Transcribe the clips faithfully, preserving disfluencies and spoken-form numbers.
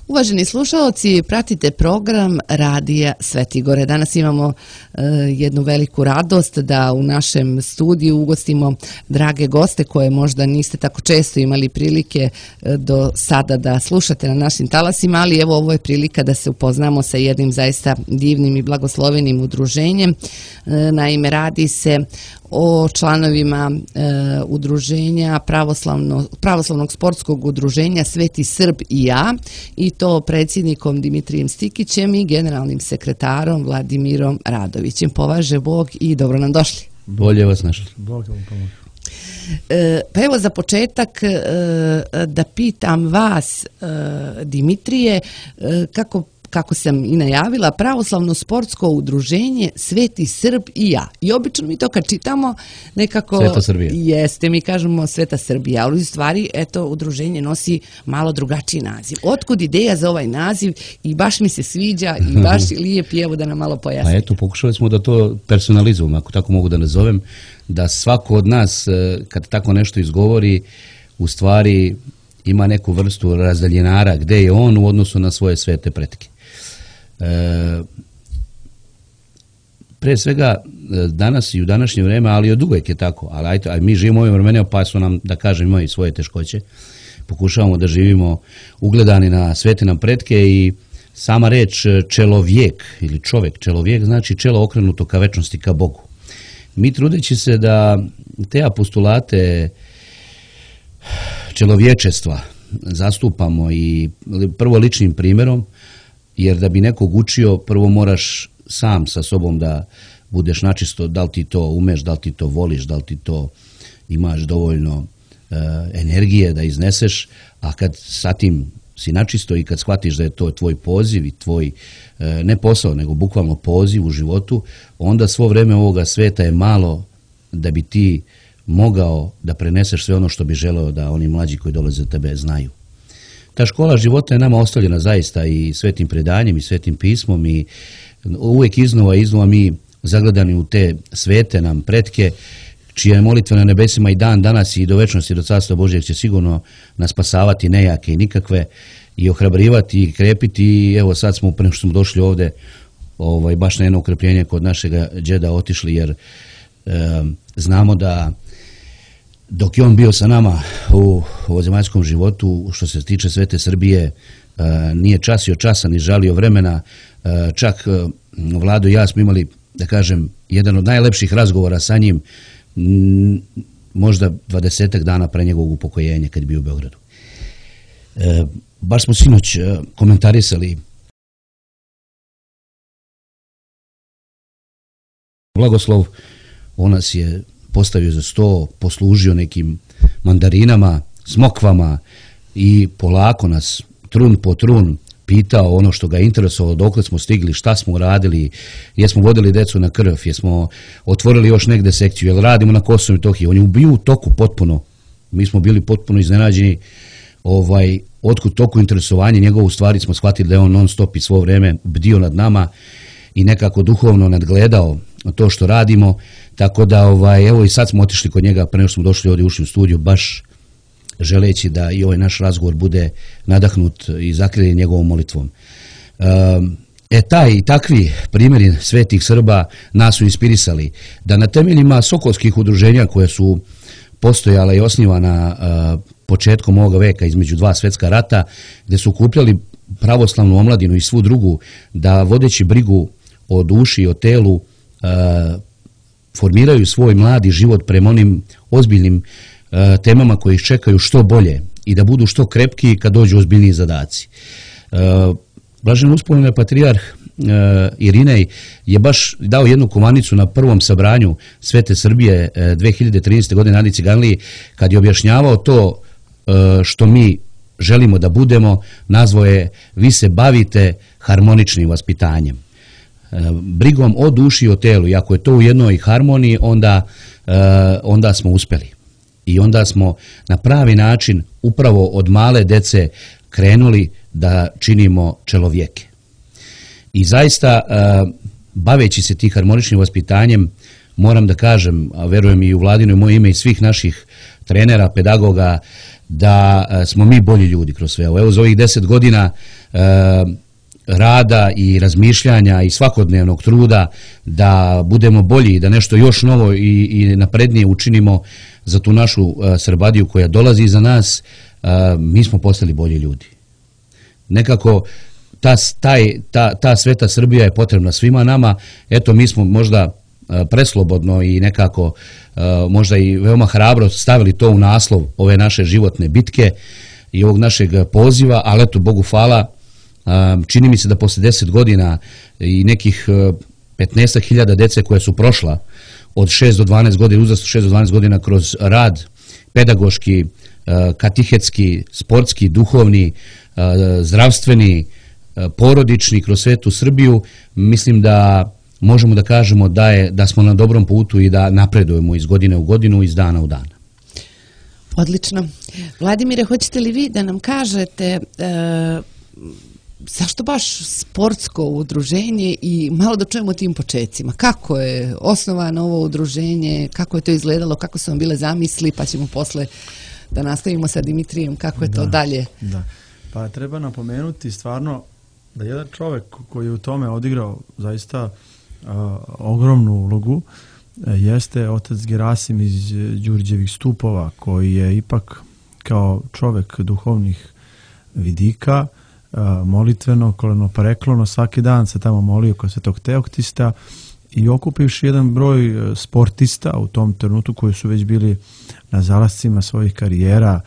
Uvaženi slušalci, pratite program Radija Svetigore. Danas imamo uh, jednu veliku radost da u našem studiju ugostimo drage goste koje možda niste tako često imali prilike uh, do sada da slušate na našim talasima, ali evo ovo je prilika da se upoznamo sa jednim zaista divnim i blagoslovenim udruženjem. Uh, naime, radi se o članovima e, udruženja pravoslavno, pravoslavnog sportskog udruženja Sveti Srb i ja, i to predsjednikom Dimitrijem Stikićem i generalnim sekretarom Vladimirom Radovićem. Považe Bog i dobro nam došli. Bolje vas našli. Bog vam pomoći. E, pa evo za početak e, da pitam vas, e, Dimitrije, e, kako kako sam i najavila, pravoslavno sportsko udruženje Sveti Srb i ja. I obično mi to kad čitamo nekako... Sveta Srbija. Jeste, mi kažemo Sveta Srbija, ali u stvari, eto, udruženje nosi malo drugačiji naziv. Otkud ideja za ovaj naziv i baš mi se sviđa i baš lijep je, evo da nam malo pojasni. Pa eto, pokušali smo da to personalizujemo, ako tako mogu da nazovem, da svako od nas, kad tako nešto izgovori, u stvari ima neku vrstu razdaljenara gde je on u odnosu na svoje svete pretke. E, pre svega danas i u današnje vreme, ali od uvek je tako, ali ajte, aj mi živimo u ovim vremenima pa su nam, da kažem, imaju svoje teškoće, pokušavamo da živimo ugledani na svete nam pretke i sama reč čelovijek ili čovek, čelovijek znači čelo okrenuto ka večnosti, ka Bogu. Mi trudeći se da te apostulate čelovječestva zastupamo i prvo ličnim primjerom, jer da bi nekog učio, prvo moraš sam sa sobom da budeš načisto, da li ti to umeš, da li ti to voliš, da li ti to imaš dovoljno e, energije da izneseš, a kad sa tim si načisto i kad shvatiš da je to tvoj poziv i tvoj, e, ne posao, nego bukvalno poziv u životu, onda svo vreme ovoga sveta je malo da bi ti mogao da preneseš sve ono što bi želeo da oni mlađi koji dolaze od tebe znaju. Ta škola života je nama ostavljena zaista i svetim predanjem i svetim pismom i uvijek iznova i iznova mi zagledani u te svete nam pretke, čija molitva na nebesima i dan danas i do večnosti, do carstva Božjeg će sigurno nas spasavati nejake i nikakve i ohrabrivati i krepiti. I evo sad smo, prema što smo došli ovde, ovaj, baš na jedno ukrepljenje kod našega džeda otišli, jer e, znamo da dok je on bio sa nama u ovozemaljskom životu, što se tiče Svete Srbije, nije časio časa ni žalio vremena. Čak Vlado i ja smo imali, da kažem, jedan od najlepših razgovora sa njim, možda dvadesetak dana pre njegovog upokojenja kad je bio u Beogradu. Baš smo sinoć komentarisali blagoslov, on nas je postavio za sto, poslužio nekim mandarinama, smokvama i polako nas trun po trun pitao ono što ga je interesovalo, dokle smo stigli, šta smo radili, jesmo vodili decu na krv, jesmo otvorili još negde sekciju, jel radimo na Kosovu i Metohiji. On je bio u toku potpuno, mi smo bili potpuno iznenađeni ovaj, otkud toku interesovanja njegovo, u stvari smo shvatili da je on non stop i svo vreme bdio nad nama i nekako duhovno nadgledao to što radimo, tako da ovaj, evo i sad smo otišli kod njega, pre nego smo došli ovdje ušli u studiju, baš želeći da i ovaj naš razgovor bude nadahnut i zakriljen njegovom molitvom. E taj i takvi primjeri svetih Srba nas su inspirisali da na temeljima sokolskih udruženja koje su postojala i osnivana početkom ovoga veka između dva svetska rata, gde su okupljali pravoslavnu omladinu i svu drugu, da vodeći brigu o duši i o telu formiraju svoj mladi život prema onim ozbiljnim temama koji ih čekaju što bolje i da budu što krepki kad dođu ozbiljniji zadaci. Blažen uspomene patrijarh Irinej je baš dao jednu kovanicu na prvom sabranju Svete Srbije dve hiljade trinaeste. godine na Adi Ciganliji, kad je objašnjavao to što mi želimo da budemo, nazvao je: vi se bavite harmoničnim vaspitanjem, brigom o duši i o telu, i ako je to u jednoj harmoniji, onda, onda smo uspeli. I onda smo na pravi način upravo od male dece krenuli da činimo čelovjeke. I zaista, baveći se tih harmoničnim vaspitanjem, moram da kažem, a verujem i u Vladino i moje ime i svih naših trenera, pedagoga, da smo mi bolji ljudi kroz sve ovo. Evo, za ovih deset godina rada i razmišljanja i svakodnevnog truda da budemo bolji i da nešto još novo i, i naprednije učinimo za tu našu uh, Srbadiju koja dolazi iza nas, uh, mi smo postali bolji ljudi. Nekako ta, taj, ta, ta sveta Srbija je potrebna svima nama. Eto, mi smo možda uh, preslobodno i nekako uh, možda i veoma hrabro stavili to u naslov ove naše životne bitke i ovog našeg poziva, ali eto, Bogu hvala, čini mi se da posle deset godina i nekih petnaest hiljada dece koje su prošla od šest do dvanaest godina, uzrastu šest do dvanaest godina kroz rad pedagoški, katehetski, sportski, duhovni, zdravstveni, porodični kroz svetu Srbiju, mislim da možemo da kažemo da, je, da smo na dobrom putu i da napredujemo iz godine u godinu, iz dana u dan. Odlično. Vladimire, hoćete li vi da nam kažete e, zašto baš sportsko udruženje i malo da čujemo o tim počecima? Kako je osnovano ovo udruženje, kako je to izgledalo, kako su vam bile zamisli, pa ćemo posle da nastavimo sa Dimitrijem, kako je to da, dalje? Da. Pa treba napomenuti stvarno da jedan čovjek koji je u tome odigrao zaista uh, ogromnu ulogu jeste otac Gerasim iz Đurđevih Stupova, koji je ipak kao čovjek duhovnih vidika, molitveno, kolenopareklono, svaki dan se tamo molio kod Svetog Teoktista i okupivši jedan broj sportista u tom trenutku koji su već bili na zalascima svojih karijera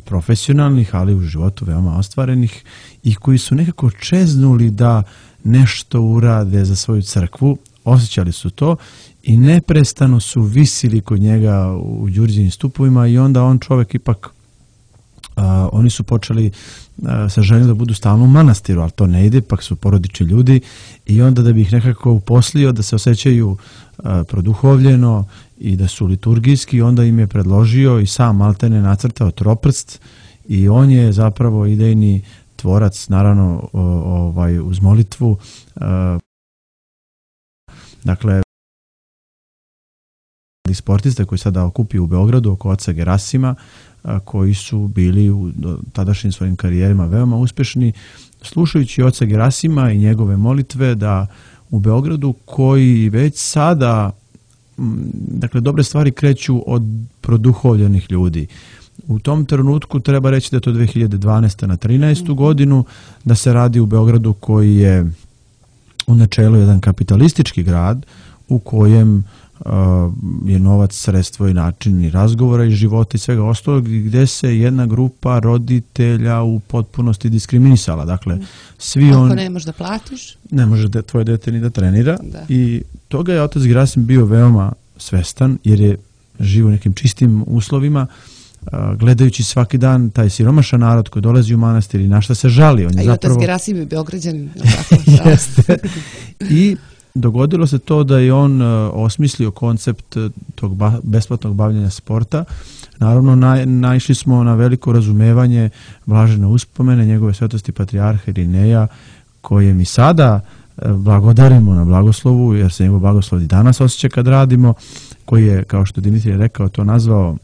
profesionalnih, ali u životu veoma ostvarenih i koji su nekako čeznuli da nešto urade za svoju crkvu, osjećali su to i neprestano su visili kod njega u Đurđevim Stupovima i onda on čovjek ipak Uh, oni su počeli uh, sa željom da budu stalno u manastiru, ali to ne ide, pak su porodični ljudi i onda da bi ih nekako uposlio da se osjećaju uh, produhovljeno i da su liturgijski, onda im je predložio i sam maltene nacrtao troprst i on je zapravo idejni tvorac, naravno o, ovaj, uz molitvu. Uh, dakle, sportiste koji sada okupio u Beogradu oko oca Gerasima, koji su bili u tadašnjim svojim karijerima veoma uspešni, slušajući oca Gerasima i njegove molitve da u Beogradu, koji već sada, dakle, dobre stvari kreću od produhovljenih ljudi. U tom trenutku treba reći da je to dve hiljade dvanaeste na trinaestu godinu, da se radi u Beogradu koji je u načelu jedan kapitalistički grad u kojem je novac, sredstvo i način i razgovora i života i svega ostalog, gdje se jedna grupa roditelja u potpunosti diskriminisala. Dakle, svi Ako on... ne možeš da platiš? Ne može de, tvoje dete ni da trenira. Da. I toga je otac Gerasim bio veoma svestan, jer je živo u nekim čistim uslovima, gledajući svaki dan taj siromašan narod koji dolazi u manastir i na šta se žali. On je A i zapravo... otac Gerasim je Beograđanin. Jeste. I dogodilo se to da je on uh, osmislio koncept tog ba besplatnog bavljenja sporta. Naravno, naj, naišli smo na veliko razumevanje blažene uspomene njegove svetosti patrijarha Irineja, koje mi sada uh, blagodarimo na blagoslovu, jer se njegov blagoslov i danas osjeća kad radimo, koji je, kao što Dimitrije rekao, to nazvao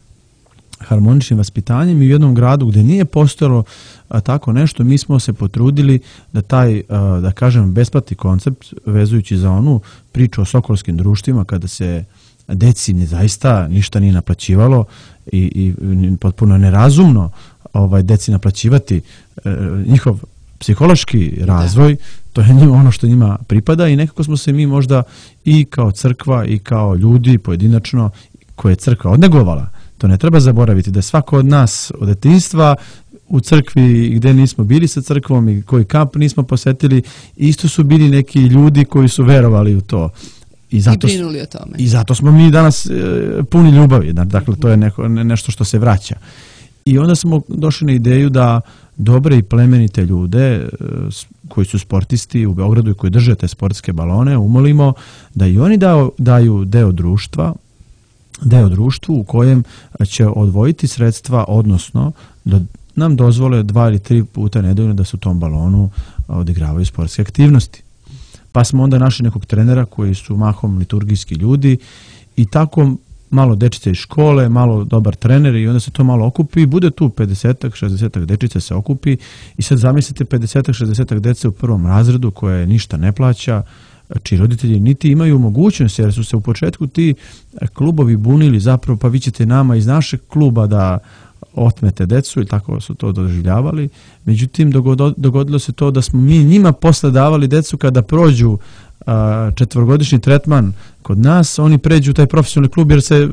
harmoničnim vaspitanjem i u jednom gradu gdje nije postojalo a, tako nešto, mi smo se potrudili da taj, a, da kažem, besplatni koncept, vezujući za onu priču o sokolskim društvima, kada se deci ne zaista ništa nije naplaćivalo i, i potpuno nerazumno ovaj, deci naplaćivati e, njihov psihološki razvoj, da. To je njima ono što njima pripada i nekako smo se mi možda i kao crkva i kao ljudi pojedinačno koje je crkva odnegovala. To ne treba zaboraviti, da svako od nas od detinjstva u crkvi gdje nismo bili sa crkvom i koji kamp nismo posjetili, isto su bili neki ljudi koji su verovali u to. I, zato, I brinuli o tome. I zato smo mi danas e, puni ljubavi. Dakle, to je neko, nešto što se vraća. I onda smo došli na ideju da dobre i plemenite ljude e, koji su sportisti u Beogradu i koji drže te sportske balone umolimo da i oni dao, daju deo društva, deo društvu u kojem će odvojiti sredstva, odnosno da nam dozvole dva ili tri puta nedeljno da se u tom balonu odigravaju sportske aktivnosti. Pa smo onda našli nekog trenera koji su mahom liturgijski ljudi i tako malo dečice iz škole, malo dobar trener i onda se to malo okupi i bude tu pedesetak, šezdesetak dečice se okupi i sad zamislite pedesetak, šezdesetak dece u prvom razredu koje ništa ne plaća, čiji roditelji niti imaju mogućnost, jer su se u početku ti klubovi bunili zapravo, pa vi ćete nama iz našeg kluba da otmete decu i tako su to doživljavali. Međutim, dogodilo se to da smo mi njima posle davali decu kada prođu četvorogodišnji tretman kod nas, oni pređu u taj profesionalni klub jer se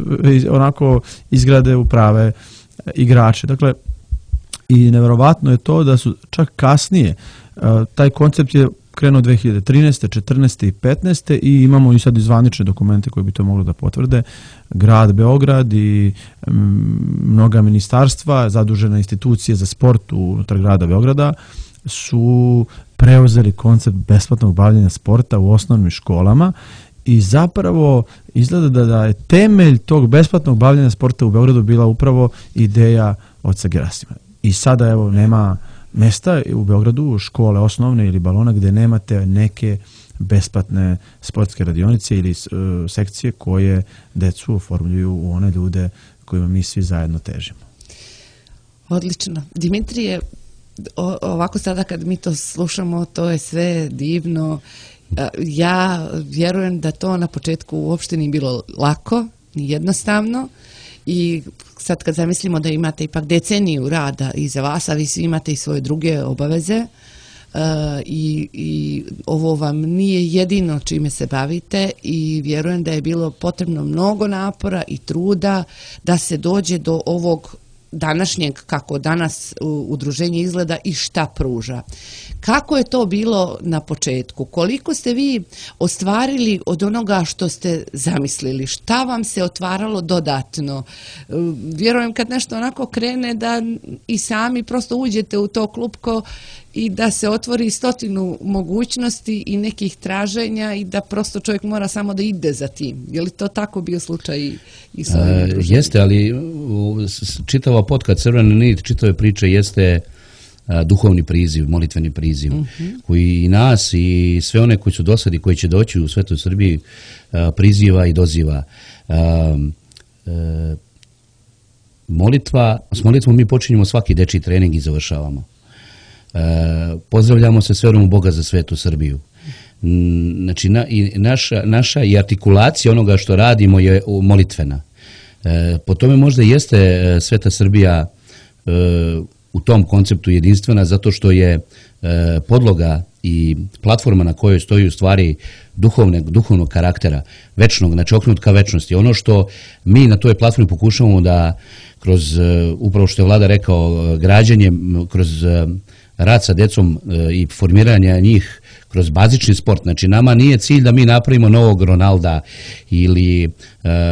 onako izgrade u prave igrače. Dakle, i neverovatno je to da su čak kasnije, taj koncept je krenuo dve hiljade trinaeste, četrnaeste i petnaeste i imamo i sad i zvanične dokumente koji bi to mogli da potvrde. Grad Beograd i mnoga ministarstva, zadužene institucije za sport unutar grada Beograda su preuzeli koncept besplatnog bavljenja sporta u osnovnim školama i zapravo izgleda da, da je temelj tog besplatnog bavljenja sporta u Beogradu bila upravo ideja oca Gerasima. I sada evo nema mesta u Beogradu, škole osnovne ili balona gdje nemate neke besplatne sportske radionice ili uh, sekcije koje decu oformljuju u one ljude kojima mi svi zajedno težimo. Odlično. Dimitrije, o, ovako sada kad mi to slušamo, to je sve divno. Ja vjerujem da to na početku uopšte nije bilo lako, ni jednostavno. I sad kad zamislimo da imate ipak deceniju rada iza vas, a vi svi imate i svoje druge obaveze uh, i, i ovo vam nije jedino čime se bavite i vjerujem da je bilo potrebno mnogo napora i truda da se dođe do ovog današnjeg, kako danas udruženje izgleda i šta pruža. Kako je to bilo na početku? Koliko ste vi ostvarili od onoga što ste zamislili? Šta vam se otvaralo dodatno? Vjerujem kad nešto onako krene da i sami prosto uđete u to klupko i da se otvori stotinu mogućnosti i nekih traženja i da prosto čovjek mora samo da ide za tim. Je li to tako bio slučaj i, i sa ovim udruženjem? Jeste, ali čitava potka Crvena nit, čitave priče jeste a, duhovni priziv, molitveni priziv, uh-huh. koji i nas i sve one koji su dosadi, koji će doći u Svetoj Srbiji a, priziva i doziva. A, a, molitva, s molitvom mi počinjemo svaki dečji trening i završavamo. Uh, pozdravljamo se s verom u Boga za Svetu Srbiju. Znači, na, i naša, naša i artikulacija onoga što radimo je molitvena. Uh, po tome možda jeste uh, Sveta Srbija uh, u tom konceptu jedinstvena, zato što je uh, podloga i platforma na kojoj stoji u stvari duhovne, duhovnog karaktera, večnog, znači okrenut ka večnosti. Ono što mi na toj platformi pokušavamo da kroz, uh, upravo što je Vlada rekao, građenje, kroz uh, rad sa decom i formiranja njih kroz bazični sport. Znači, nama nije cilj da mi napravimo novog Ronalda ili e,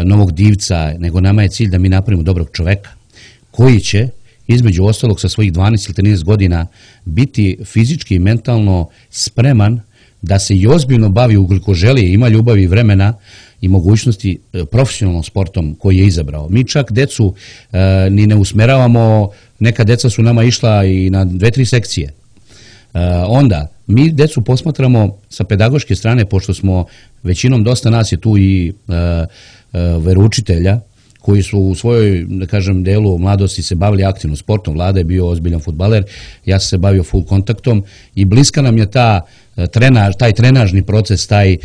novog divca, nego nama je cilj da mi napravimo dobrog čoveka koji će, između ostalog sa svojih dvanaest ili trinaest godina, biti fizički i mentalno spreman da se i ozbiljno bavi, ukoliko želi, ima ljubavi i vremena i mogućnosti profesionalnom sportom koji je izabrao. Mi čak decu e, ni ne usmeravamo, neka deca su nama išla i na dve, tri sekcije. E, onda, mi decu posmatramo sa pedagoške strane, pošto smo većinom, dosta nas je tu i e, e, veroučitelja, koji su u svojoj, da kažem, delu mladosti se bavili aktivno sportom. Vlada je bio ozbiljan fudbaler, ja sam se bavio full kontaktom i bliska nam je ta trenaž, taj trenažni proces, taj,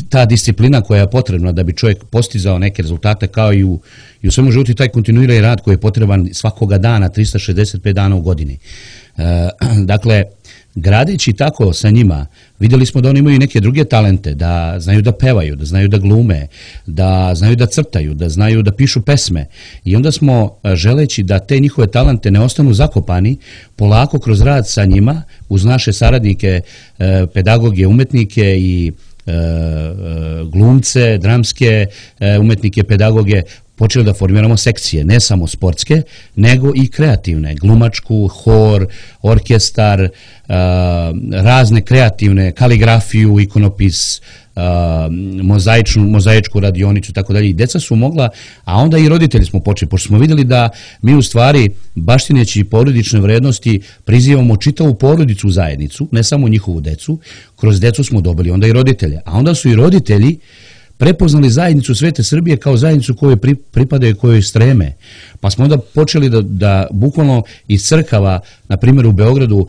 ta disciplina koja je potrebna da bi čovjek postizao neke rezultate, kao i u, i u svemu životu, taj kontinuirani rad koji je potreban svakoga dana, trista šezdeset pet dana u godini. E, dakle, gradeći tako sa njima, vidjeli smo da oni imaju neke druge talente, da znaju da pevaju, da znaju da glume, da znaju da crtaju, da znaju da pišu pesme. I onda smo, želeći da te njihove talente ne ostanu zakopani, polako kroz rad sa njima, uz naše saradnike, pedagoge, umetnike i glumce, dramske umetnike, pedagoge, počeli da formiramo sekcije, ne samo sportske, nego i kreativne, glumačku, hor, orkestar, uh, razne kreativne, kaligrafiju, ikonopis, uh, mozaičnu, mozaičku radionicu, tako dalje. I deca su mogla, a onda i roditelji smo počeli, pošto smo vidjeli da mi u stvari, baštineći porodične vrednosti, prizivamo čitavu porodicu u zajednicu, ne samo njihovu decu, kroz decu smo dobili onda i roditelje. A onda su i roditelji prepoznali zajednicu Svete Srbije kao zajednicu kojoj pripadaju, kojoj streme. Pa smo onda počeli da, da bukvalno iz crkava, na primjer u Beogradu,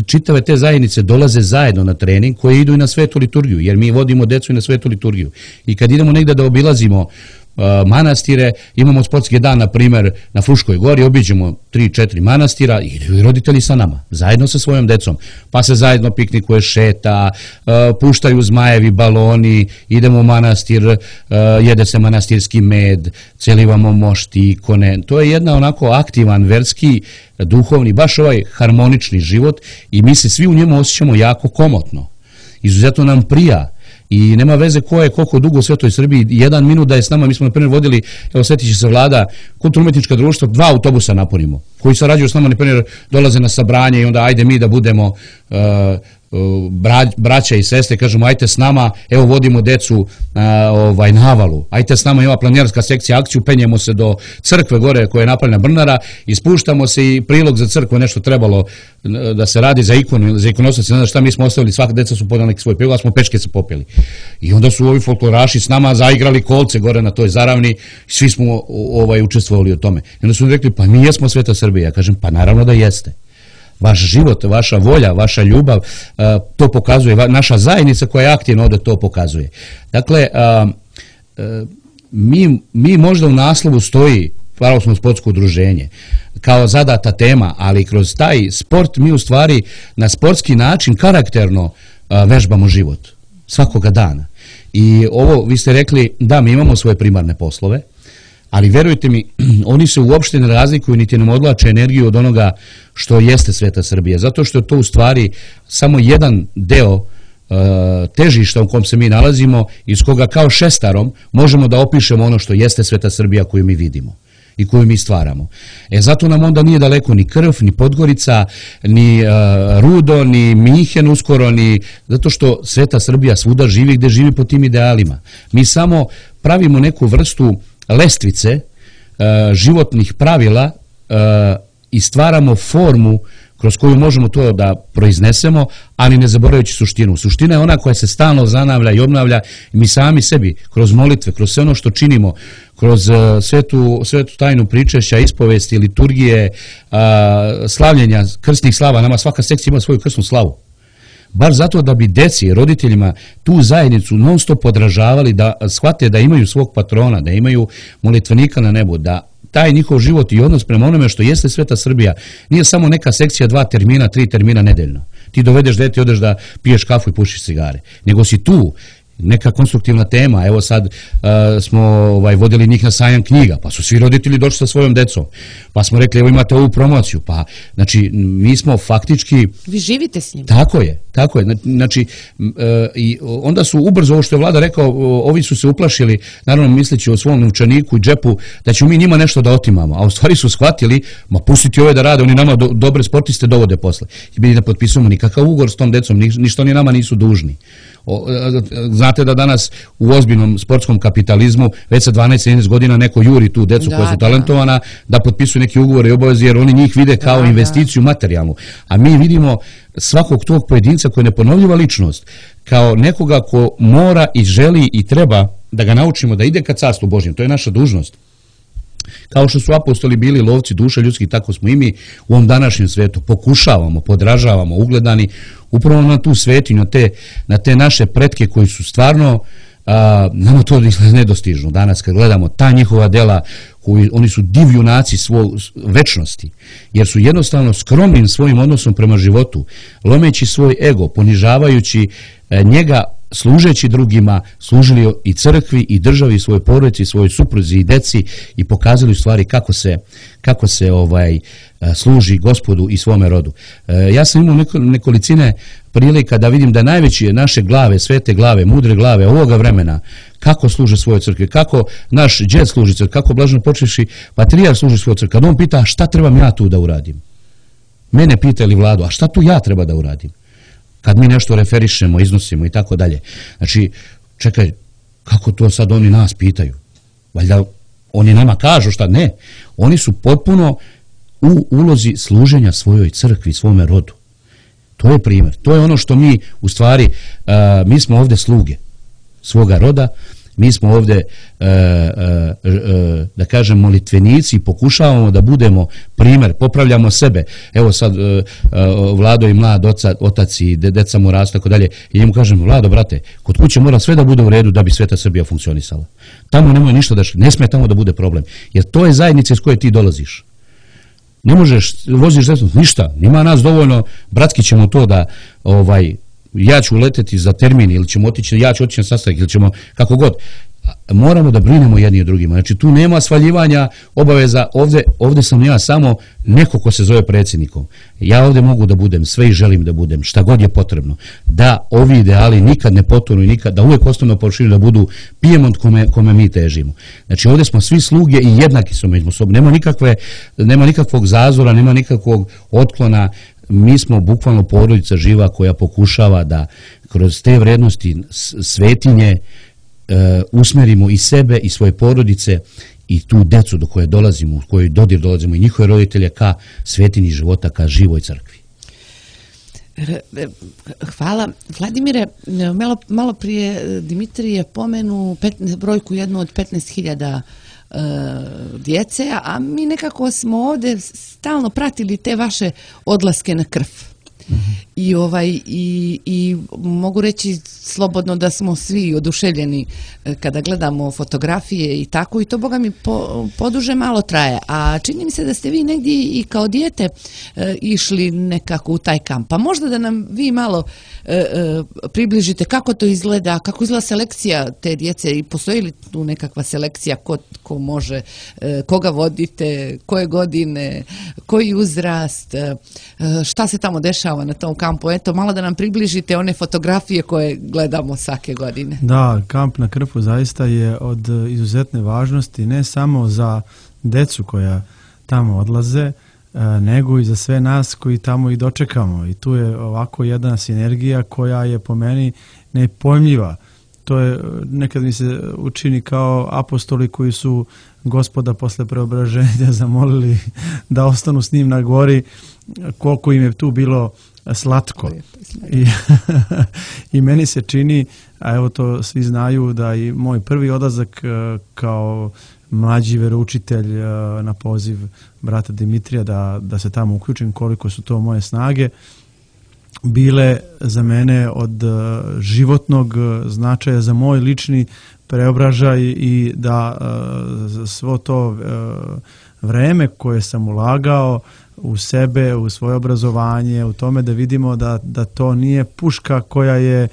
čitave te zajednice dolaze zajedno na trening koje idu i na svetu liturgiju, jer mi vodimo decu i na svetu liturgiju. I kad idemo negdje da obilazimo uh, manastire, imamo sportski dan, na primjer, na Fruškoj gori, obiđemo tri četiri manastira i idu roditelji sa nama, zajedno sa svojom decom. Pa se zajedno piknikuje, šeta, uh, puštaju zmajevi, baloni, idemo u manastir, uh, jede se manastirski med, celivamo mošti, ikone. To je jedna onako aktivan, verski, duhovni, baš ovaj harmonični život i mi se svi u njemu osjećamo jako komotno. Izuzetno nam prija i nema veze ko je koliko dugo u Svetoj Srbiji, jedan minut da je s nama, mi smo na primjer vodili, evo sjetit će se Vlada, kulturno-umetnička društva, dva autobusa napunimo, koji sarađuju s nama, na primjer dolaze na sabranje i onda ajde mi da budemo uh, braća i sestre, kažemo ajte s nama, evo vodimo decu a, ovaj, na Avalu, ajte s nama, ima planinarska sekcija akciju, penjemo se do crkve gore koja je napravljena Brnara i spuštamo se i prilog za crkvu, nešto trebalo da se radi za ikonu, za ikonostac, ne znam šta, mi smo ostavili, svaka deca su podali neki svoj prilog, a smo pečke se popeli. I onda su ovi folkloraši s nama zaigrali kolce gore na toj zaravni, svi smo ovaj, učestvovali u tome. I onda su rekli, pa mi jesmo Sveta Srbija. Ja kažem, pa naravno da jeste. Vaš život, vaša volja, vaša ljubav, to pokazuje, naša zajednica koja je aktivna ovdje to pokazuje. Dakle, mi, mi možda u naslovu stoji pravoslavno sportsko udruženje kao zadata tema, ali kroz taj sport mi u stvari na sportski način karakterno vežbamo život svakoga dana. I ovo, vi ste rekli, da, mi imamo svoje primarne poslove, ali verujte mi, oni se uopšte ne razlikuju niti nam odlače energiju od onoga što jeste Sveta Srbija, zato što je to u stvari samo jedan deo uh, težišta u kom se mi nalazimo, iz koga kao šestarom možemo da opišemo ono što jeste Sveta Srbija koju mi vidimo i koju mi stvaramo. E zato nam onda nije daleko ni Krv, ni Podgorica, ni uh, Rudo, ni Minhen uskoro, ni zato što Sveta Srbija svuda živi gde živi po tim idealima. Mi samo pravimo neku vrstu lestvice uh, životnih pravila uh, i stvaramo formu kroz koju možemo to da proiznesemo, ali ne zaboravljajući suštinu. Suština je ona koja se stalno zanavlja i obnavlja i mi sami sebi, kroz molitve, kroz sve ono što činimo, kroz uh, svetu, svetu tajnu pričešća, ispovesti, liturgije, uh, slavljenja, krstnih slava, nama svaka sekcija ima svoju krstnu slavu. Bar zato da bi deci, roditeljima tu zajednicu non stop podražavali, da shvate da imaju svog patrona, da imaju molitvenika na nebu, da taj njihov život i odnos prema onome što jeste Sveta Srbija nije samo neka sekcija dva termina, tri termina nedeljno. Ti dovedeš dete i odeš da piješ kafu i pušiš cigare. Nego si tu neka konstruktivna tema. Evo sad uh, smo ovaj, vodili njih na sajam knjiga, pa su svi roditelji došli sa svojom decom. Pa smo rekli, evo imate ovu promociju. Pa, znači, mi smo faktički... Vi živite s njim. Tako je, tako je. Znači, uh, i onda su ubrzo, ovo što je Vlada rekao, ovi su se uplašili, naravno misleći o svom novčaniku i džepu, da ćemo mi njima nešto da otimamo. A u stvari su shvatili, ma pustiti ove da rade, oni nama do, dobre sportiste dovode posle. I mi ne potpisujemo nikakav ugovor s tom decom, ni, ništa oni nama nisu dužni. O, znate da danas u ozbiljnom sportskom kapitalizmu već sa dvanaest trinaest godina neko juri tu decu da, koja su talentovana da, da potpisuju neki ugovor i obaveze jer oni njih vide kao da, investiciju da. materijalnu. A mi vidimo svakog tog pojedinca koji je neponovljiva ličnost kao nekoga ko mora i želi i treba da ga naučimo da ide ka carstvu Božjem. To je naša dužnost. Kao što su apostoli bili lovci duša ljudskih, tako smo i mi u ovom današnjem svetu pokušavamo, podražavamo, ugledani upravo na tu svetinju, na te, na te naše pretke koji su stvarno, a, nama to nedostižno. Danas kad gledamo ta njihova dela, koji, oni su div junaci svoj večnosti, jer su jednostavno skromnim svojim odnosom prema životu, lomeći svoj ego, ponižavajući a, njega, služeći drugima, služili i crkvi i državi i svojoj porodici, svojoj supruzi i deci i pokazali u stvari kako se, kako se ovaj, služi Gospodu i svome rodu. Ja sam imao neko, nekolicine prilika da vidim da najveće naše glave, svete glave, mudre glave ovoga vremena, kako služe svoje crkve, kako naš džed služi crkve, kako blaženo počevši patrijar služi svoje crkve. Kad on pita šta trebam ja tu da uradim? Mene pita ili Vladu, a šta tu ja treba da uradim? Kad mi nešto referišemo, iznosimo i tako dalje. Znači, čekaj, kako to sad oni nas pitaju? Valjda oni nama kažu šta? Ne. Oni su potpuno u ulozi služenja svojoj crkvi, svome rodu. To je primjer. To je ono što mi, u stvari, uh, mi smo ovdje sluge svoga roda, Mi smo ovdje, e, e, e, da kažem, molitvenici i pokušavamo da budemo primjer, popravljamo sebe. Evo sad e, e, Vlado i mlad oca, otac i de, deca mu rastu, tako dalje. I njemu kažem, Vlado, brate, kod kuće mora sve da bude u redu da bi sveta Srbija funkcionisala. Tamo nemoj ništa da ne smije tamo da bude problem. Jer to je zajednica iz koje ti dolaziš. Ne možeš, voziš desno, ništa, nima nas dovoljno, bratski ćemo to da, ovaj, ja ću leteti za termin ili ćemo otići, ja ću otići na sastanak ili ćemo, kako god. Moramo da brinemo jedni o drugima. Znači tu nema svaljivanja obaveza, ovdje, ovdje sam ja samo neko ko se zove predsjednikom. Ja ovdje mogu da budem sve i želim da budem, šta god je potrebno. Da ovi ideali nikad ne potonu i nikad, da uvijek ostanu na površini, da budu pijemont kome, kome mi težimo. Znači ovdje smo svi sluge i jednaki smo među sobom. Nema nikakve, nema nikakvog zazora, nema nikakvog otklona. Mi smo bukvalno porodica živa koja pokušava da kroz te vrednosti svetinje Uh, usmerimo i sebe i svoje porodice i tu decu do koje dolazimo, u kojoj dodir dolazimo i njihove roditelje ka svetinji života, ka živoj crkvi. Hvala. Vladimire, malo, malo prije Dimitrije pomenu petnaest, brojku jednu od petnaest hiljada uh, djece, a mi nekako smo ovdje stalno pratili te vaše odlaske na krv. I ovaj i, i mogu reći slobodno da smo svi oduševljeni kada gledamo fotografije i tako, i to boga mi po, poduže malo traje, a čini mi se da ste vi negdje i kao dijete e, išli nekako u taj kamp, pa možda da nam vi malo e, e, približite kako to izgleda, kako izgleda selekcija te djece i postoji li tu nekakva selekcija, ko, ko može, e, koga vodite, koje godine, koji uzrast, e, šta se tamo dešava na tom kampu. Eto, malo da nam približite one fotografije koje gledamo svake godine. Da, kamp na Krfu zaista je od izuzetne važnosti, ne samo za decu koja tamo odlaze, nego i za sve nas koji tamo i dočekamo. I tu je ovako jedna sinergija koja je po meni nepojmljiva. To je, nekad mi se učini kao apostoli koji su Gospoda posle preobraženja zamolili da ostanu s njim na gori, koliko im je tu bilo slatko. I, i meni se čini, a evo to svi znaju, da i moj prvi odlazak kao mlađi veroučitelj na poziv brata Dimitrija da, da se tamo uključim, koliko su to moje snage bile za mene od životnog značaja za moj lični preobražaj i da svo to vreme koje sam ulagao u sebe, u svoje obrazovanje, u tome da vidimo da, da to nije puška koja je e,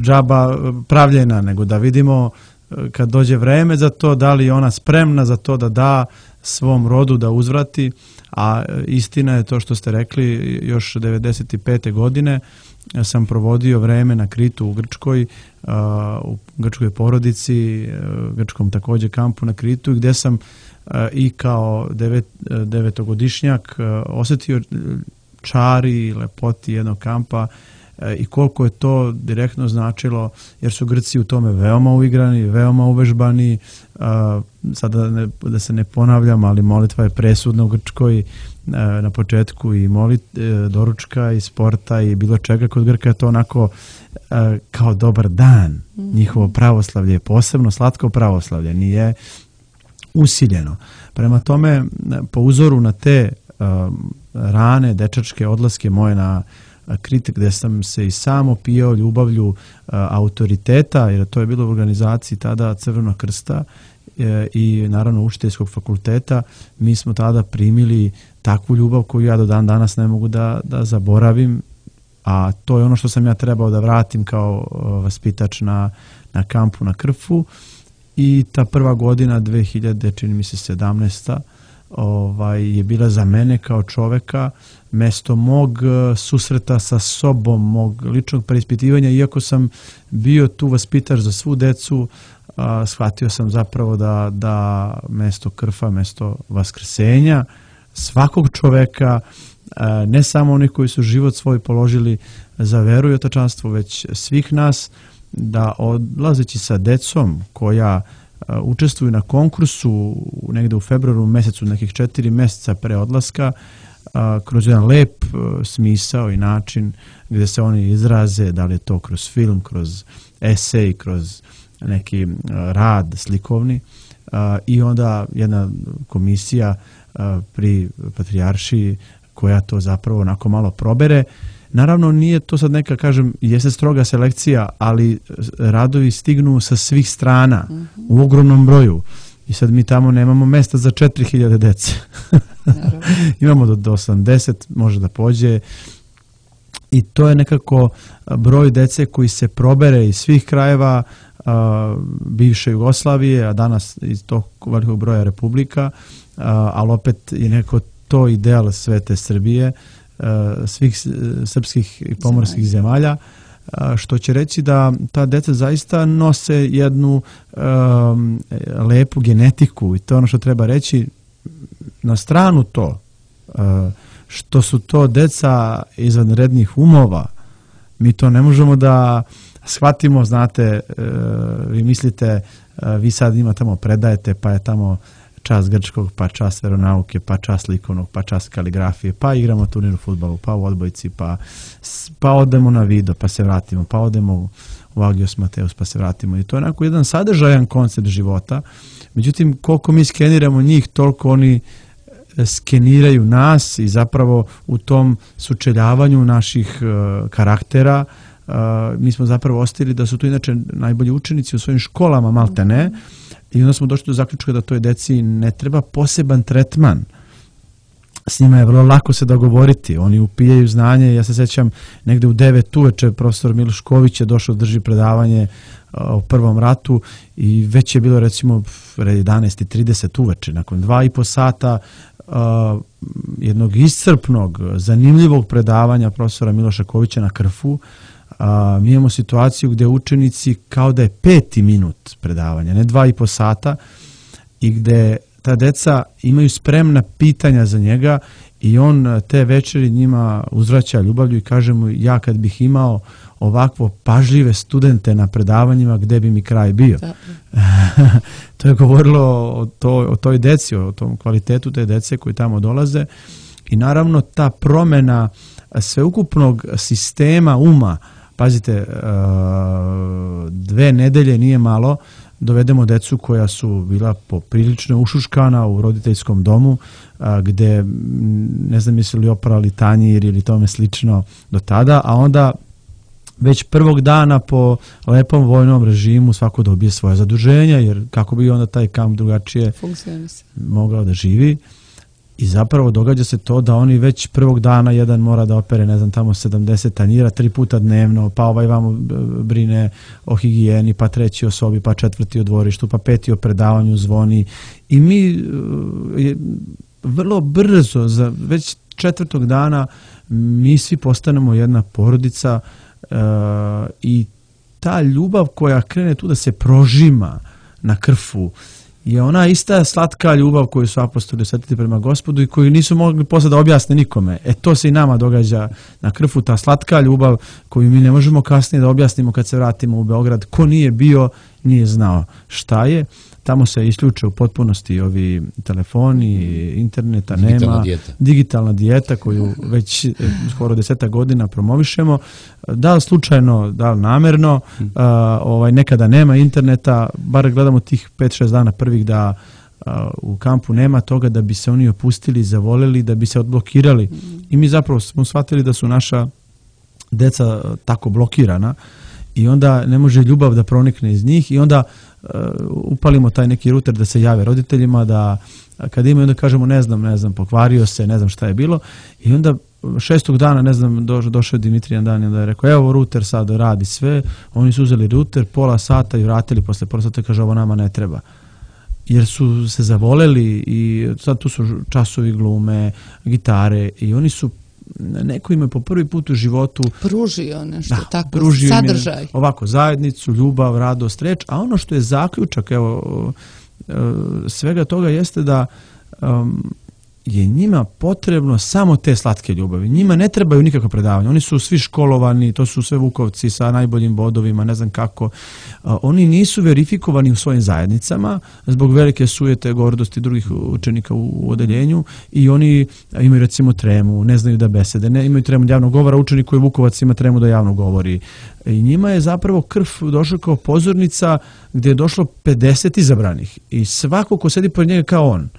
džaba pravljena, nego da vidimo e, kad dođe vreme za to, da li je ona spremna za to da da svom rodu da uzvrati, a istina je to što ste rekli, još devedeset pete godine sam provodio vreme na Kritu u Grčkoj, u grčkoj porodici, grčkom također kampu na Kritu, gdje sam i kao devet, devetogodišnjak osjetio čari i lepoti jednog kampa i koliko je to direktno značilo, jer su Grci u tome veoma uigrani, veoma uvežbani. Sada ne, da se ne ponavljam, ali molitva je presudna u Grčkoj na početku, i molit, doručka i sporta i bilo čega. Kod Grka je to onako kao dobar dan. Njihovo pravoslavlje je posebno slatko pravoslavlje, nije usiljeno. Prema tome, po uzoru na te rane dečačke odlaske moje na Krit, gdje sam se i sam opijao ljubavlju a, autoriteta, jer to je bilo u organizaciji tada Crvenog krsta e, i naravno učiteljskog fakulteta, mi smo tada primili takvu ljubav koju ja do dan danas ne mogu da, da zaboravim, a to je ono što sam ja trebao da vratim kao o, vaspitač na, na kampu na Krfu. I ta prva godina dve hiljade, čini mi se sedamnaesta, ovaj, je bila za mene kao čoveka mesto mog susreta sa sobom, mog ličnog preispitivanja. Iako sam bio tu vaspitač za svu decu, a, shvatio sam zapravo da, da mesto Krfa, mesto vaskrsenja svakog čoveka, a, ne samo oni koji su život svoj položili za veru i otačanstvo, već svih nas, da odlazeći sa decom koja uh, učestvuju na konkursu negde u februaru mesecu, nekih četiri meseca pre odlaska, kroz jedan lep smisao i način gdje se oni izraze, da li je to kroz film, kroz esej, kroz neki rad slikovni, i onda jedna komisija pri patrijaršiji koja to zapravo onako malo probere. Naravno, nije to sad neka, kažem, jeste stroga selekcija, ali radovi stignu sa svih strana, mm-hmm. u ogromnom broju. I sad mi tamo nemamo mesta za četiri hiljade dece. Imamo do, do osamdeset, može da pođe. I to je nekako broj dece koji se probere iz svih krajeva a, bivše Jugoslavije, a danas iz tog velikog broja republika, a, ali opet je neko to ideal svete Srbije, svih srpskih i pomorskih zemalja, što će reći da ta deca zaista nose jednu um, lepu genetiku, i to je ono što treba reći. Na stranu to, uh, što su to deca izvanrednih umova, mi to ne možemo da shvatimo, znate, uh, vi mislite, uh, vi sad ima tamo predajete, pa je tamo čas grčkog, pa čas veronauke, pa čas likovnog, pa čas kaligrafije, pa igramo turnir u fudbalu, pa u odbojci, pa, pa odemo na video, pa se vratimo, pa odemo u Agios Mateus, pa se vratimo. I to je onako jedan sadržajan koncept života. Međutim, koliko mi skeniramo njih, toliko oni skeniraju nas, i zapravo u tom sučeljavanju naših uh, karaktera uh, mi smo zapravo ostavili da su to inače najbolji učenici u svojim školama, malte ne. I onda smo došli do zaključka da toj deci ne treba poseban tretman. S njima je vrlo lako se dogovoriti. Oni upijaju znanje. Ja se sećam, negde u devet uveče profesor Miloš Ković je došao da drži predavanje o prvom ratu i već je bilo recimo jedanaest i trideset uveče. Nakon dva i po sata uh, jednog iscrpnog, zanimljivog predavanja profesora Miloša Kovića na Krfu, A, mi imamo situaciju gdje učenici kao da je peti minut predavanja, ne dva i po sata, i gdje ta deca imaju spremna pitanja za njega i on te večeri njima uzvraća ljubavlju i kaže mu, ja kad bih imao ovakvo pažljive studente na predavanjima, gdje bi mi kraj bio. To je govorilo o, to, o toj deci, o tom kvalitetu te dece koji tamo dolaze, i naravno ta promjena sveukupnog sistema uma. Pazite, dve nedelje nije malo, dovedemo decu koja su bila poprilično ušuškana u roditeljskom domu, gde ne znam jesu li oprali tanjir ili tome slično do tada, a onda već prvog dana po lepom vojnom režimu svako dobije svoje zaduženja, jer kako bi onda taj kamp drugačije mogao da živi. I zapravo događa se to da oni već prvog dana jedan mora da opere, ne znam, tamo sedamdeset tanjira tri puta dnevno, pa ovaj vamo brine o higijeni, pa treći o sobi, pa četvrti o dvorištu, pa peti o predavanju zvoni. I mi je, vrlo brzo, za već četvrtog dana, mi svi postanemo jedna porodica, uh, i ta ljubav koja krene tu da se prožima na Krfu je ona ista slatka ljubav koju su apostoli osjetili prema Gospodu i koju nisu mogli posle da objasne nikome. E to se i nama događa na Krfu, ta slatka ljubav koju mi ne možemo kasnije da objasnimo kad se vratimo u Beograd. Ko nije bio, nije znao šta je. Tamo se isključe u potpunosti ovi telefoni, interneta nema. Digitalna dijeta. Digitalna dijeta koju već skoro deseta godina promovišemo. Da li slučajno, da li namerno, hmm. uh, ovaj, nekada nema interneta, bar gledamo tih pet šest dana prvih da uh, u kampu nema toga, da bi se oni opustili, zavoleli, da bi se odblokirali. Hmm. I mi zapravo smo shvatili da su naša deca tako blokirana i onda ne može ljubav da pronikne iz njih, i onda uh, upalimo taj neki ruter da se jave roditeljima, da kada imaju, onda kažemo ne znam, ne znam, pokvario se, ne znam šta je bilo, i onda šestog dana, ne znam, do, došao je Dimitrijan dan i onda je rekao, evo ruter sad radi sve, oni su uzeli ruter, pola sata i vratili posle pola sata i kaže, ovo nama ne treba. Jer su se zavoleli i sad tu su časovi glume, gitare, i oni su, neko im je po prvi put u životu pružio nešto, da, tako, pružio sadržaj. Ovako, zajednicu, ljubav, radost, reč, a ono što je zaključak, evo, svega toga jeste da um, je njima potrebno samo te slatke ljubavi. Njima ne trebaju nikakva predavanja. Oni su svi školovani, to su sve Vukovci sa najboljim bodovima, ne znam kako. Oni nisu verifikovani u svojim zajednicama zbog velike sujete, gordosti drugih učenika u odeljenju i oni imaju recimo tremu, ne znaju da besede, ne imaju tremu javnog govora. Učenik koji je Vukovac ima tremu da javno govori. I njima je zapravo krv došla kao pozornica gdje je došlo pedeset izabranih i svako ko sedi pored njega kao on.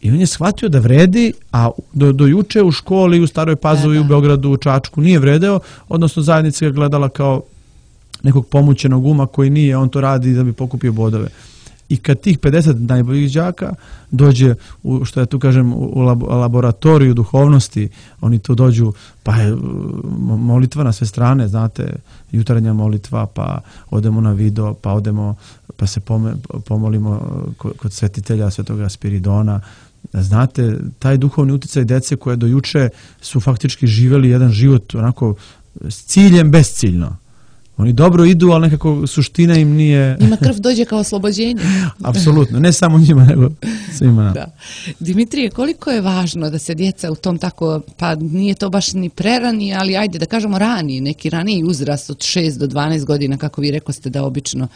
I on je shvatio da vredi, a do, do juče u školi, u Staroj Pazovi, u Beogradu, u Čačku nije vredeo, odnosno zajednica ga gledala kao nekog pomućenog uma koji nije, on to radi da bi pokupio bodove. I kad tih pedeset najboljih đaka dođe, u, što ja tu kažem, u laboratoriju duhovnosti, oni tu dođu, pa je molitva na sve strane, znate, jutarnja molitva, pa odemo na video, pa odemo, pa se pomolimo kod svetitelja Svetoga Spiridona. Znate, taj duhovni uticaj dece koje do juče su faktički živjeli jedan život onako s ciljem besciljno. Oni dobro idu, ali nekako suština im nije... Njima krv dođe kao oslobođenje. Apsolutno, ne samo njima, nego svima nam. Da. Dimitrije, koliko je važno da se djeca u tom tako, pa nije to baš ni prerani, ali ajde da kažemo rani, neki raniji uzrast od šest do dvanaest godina, kako vi rekoste da obično,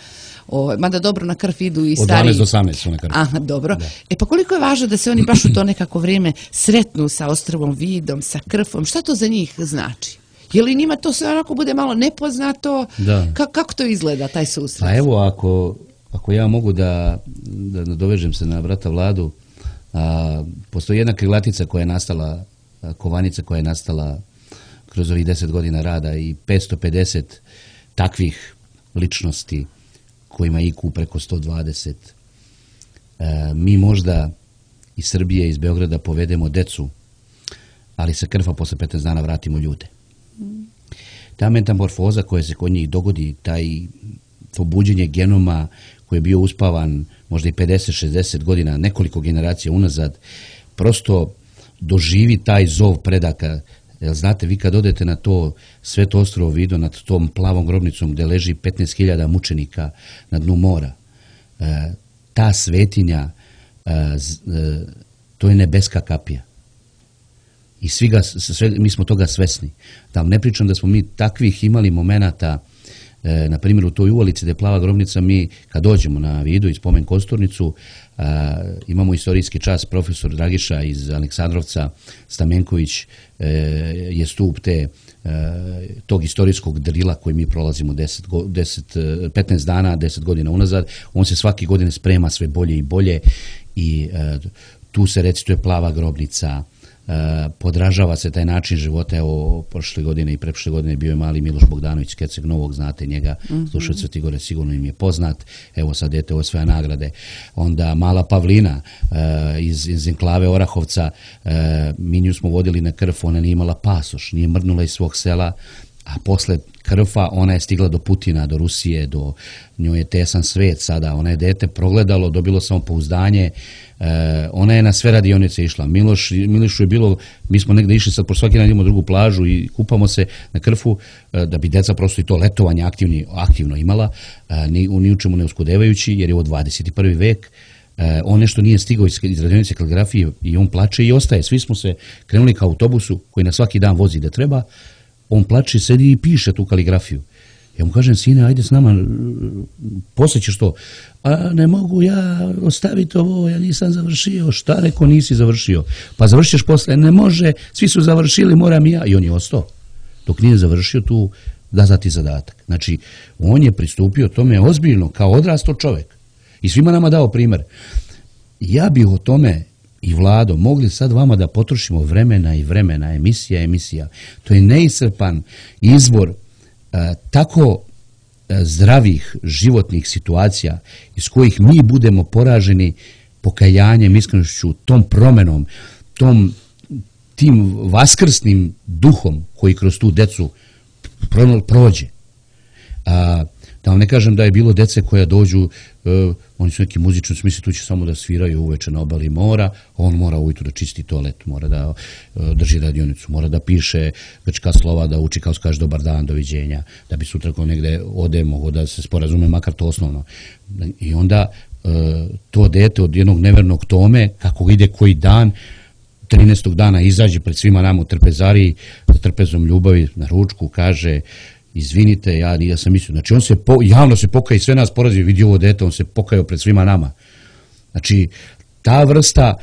o, mada dobro na krv idu i stariji. Od dvanaest do osamnaest su na krv. Aha, dobro. Da. E pa koliko je važno da se oni baš u to nekako vrijeme sretnu sa ostrvom vidom, sa krvom, šta to za njih znači? Je li njima to sve onako bude malo nepoznato? Da. Ka, kako to izgleda, taj susret? Pa evo, ako, ako ja mogu da, da nadovežem se na brata Vladu, a, postoji jedna krilatica koja je nastala, a, kovanica koja je nastala kroz ovih deset godina rada i petsto pedeset takvih ličnosti kojima I Q preko sto dvadeset. A, mi možda iz Srbije, iz Beograda povedemo decu, ali se krva posle petnaest dana vratimo ljude. Ta metamorfoza koja se kod njih dogodi, taj to buđenje genoma koji je bio uspavan možda i pedeset šezdeset godina, nekoliko generacija unazad, prosto doživi taj zov predaka. Jer znate, vi kad odete na to Sveto ostrvo Vido, nad tom plavom grobnicom gdje leži petnaest hiljada mučenika na dnu mora, e, ta svetinja, e, z, e, to je nebeska kapija. I svi ga, sve, mi smo toga svesni. Da vam ne pričam da smo mi takvih imali momenata, e, na primjer u toj uvalici gdje je plava grobnica, mi kad dođemo na Vidu i spomen Kosturnicu, e, imamo istorijski čas, profesor Dragiša iz Aleksandrovca, Stamenković e, je stup te, e, tog istorijskog drila koji mi prolazimo deset, deset, petnaest dana, deset godina unazad. On se svake godine sprema sve bolje i bolje i e, tu se recituje plava grobnica. Uh, podražava se taj način života. Evo, prošle godine i preprošle godine bio je mali Miloš Bogdanović, Kecek Novog, znate njega, mm-hmm. slušao Svetigore, sigurno im je poznat. Evo sad dete osvaja nagrade. Onda mala Pavlina uh, iz, iz enklave Orahovca, uh, mi nju smo vodili na krv, ona nije imala pasoš, nije mrnula iz svog sela, a posle krfa ona je stigla do Putina, do Rusije, do njoj je tesan svet sada, ona je dete progledalo, dobilo samopouzdanje, e, ona je na sve radionice išla. Miloš, Milošu je bilo, mi smo negde išli sad, po svaki dan idemo drugu plažu i kupamo se na krfu, e, da bi deca prosto i to letovanje aktivni, aktivno imala, e, ni, ni u čemu ne uskudevajući, jer je ovo dvadeset prvi vek, e, on nešto nije stigao iz, iz radionice kaligrafije i on plače i ostaje. Svi smo se krenuli ka autobusu koji na svaki dan vozi da treba. On plače, sedi i piše tu kaligrafiju. Ja mu kažem, sine, ajde s nama, poslije ćeš to. A ne mogu ja ostaviti ovo, ja nisam završio. Šta reko nisi završio? Pa završiš posle, ne može, svi su završili, moram i ja. I on je ostao. Dok nije završio tu, da zati zadatak. Znači, on je pristupio tome ozbiljno, kao odrasto čovjek. I svima nama dao primjer. Ja bih o tome i Vlado, mogli sad vama da potrošimo vremena i vremena, emisija, emisija. To je neiscrpan izbor a, tako a, zdravih životnih situacija iz kojih mi budemo poraženi pokajanjem, iskrenošću, tom promenom, tom, tim vaskrsnim duhom koji kroz tu decu prođe. A, da vam ne kažem da je bilo dece koja dođu, uh, oni su neki muzični, smisli tu će samo da sviraju uveče na obali mora, on mora ujutru da čisti toalet, mora da uh, drži radionicu, mora da piše grčka slova, da uči kao se kaže dobar dan, doviđenja, da bi sutra ko negde ode, mogo da se sporazume, makar to osnovno. I onda uh, to dete od jednog nevernog Tome, kako ide koji dan, trinaestog dana izađe pred svima nama u trpezariji sa trpezom ljubavi na ručku, kaže izvinite, ja, ja sam mislio, znači on se po, javno se pokaje i sve nas porazi, vidi ovo dete, on se pokajao pred svima nama. Znači, ta vrsta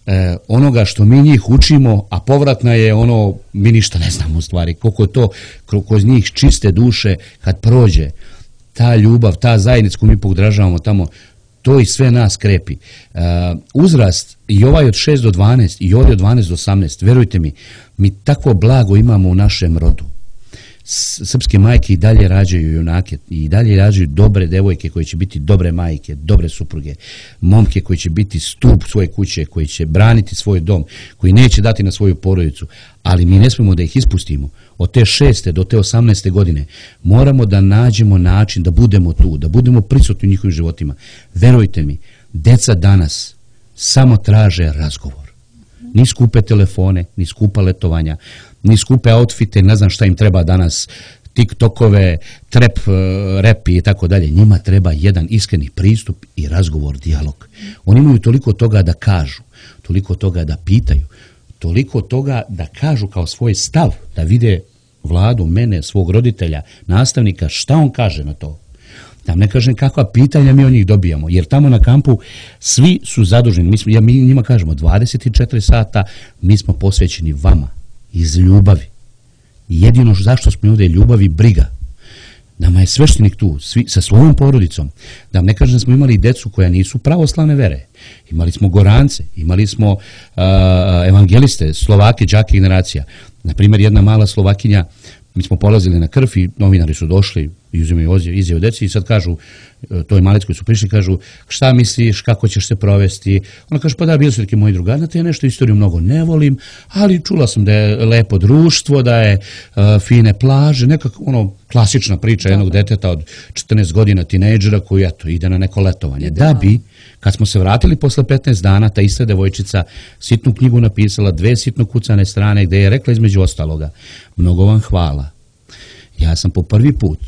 e, onoga što mi njih učimo, a povratna je ono, mi ništa ne znamo u stvari, koliko je to kroz njih čiste duše kad prođe, ta ljubav, ta zajednica koju mi podražavamo tamo, to i sve nas krepi. Uh, uzrast i ovaj od šest do dvanaest i ovaj od dvanaest do osamnaest, verujte mi, mi takvo blago imamo u našem rodu. Srpske majke i dalje rađaju junake i dalje rađaju dobre devojke koje će biti dobre majke, dobre supruge, momke koji će biti stup svoje kuće, koji će braniti svoj dom, koji neće dati na svoju porodicu, ali mi ne smemo da ih ispustimo. Od te šeste do te osamnaeste godine moramo da nađemo način da budemo tu, da budemo prisutni u njihovim životima. Verujte mi, deca danas samo traže razgovor. Ni skupe telefone, ni skupa letovanja, ni skupe outfite, ne znam šta im treba danas, tiktokove, trap, rap i tako dalje. Njima treba jedan iskreni pristup i razgovor, dijalog. Oni imaju toliko toga da kažu, toliko toga da pitaju, toliko toga da kažu kao svoj stav, da vide Vladu, mene, svog roditelja, nastavnika, šta on kaže na to. Da ne kažem kakva pitanja mi od njih dobijamo, jer tamo na kampu svi su zaduženi. Mi, smo, ja, mi njima kažemo dvadeset četiri sata mi smo posvećeni vama, iz ljubavi. Jedino zašto smo ovdje je ljubav i briga. Nama je sveštenik tu, svi, sa svojom porodicom. Da ne kažem da smo imali decu koja nisu pravoslavne vere. Imali smo Gorance, imali smo uh, evangeliste, Slovake, đake generacija. Naprimjer, jedna mala Slovakinja, mi smo polazili na krv i novinari su došli i uzimaju izjavu deci i sad kažu, to je malec koji su prišli, kažu šta misliš, kako ćeš se provesti. Ona kaže, pa da, bili su neki moji drugari, znate, ja nešto istoriju mnogo ne volim, ali čula sam da je lepo društvo, da je uh, fine plaže, nekako ono klasična priča jednog deteta od četrnaest godina, tinejdžera koji eto, ide na neko letovanje. Da bi, kad smo se vratili posle petnaest dana, ta ista devojčica sitnu knjigu napisala, dve sitno kucane strane, gde je rekla između ostaloga, mnogo vam hvala. Ja sam po prvi put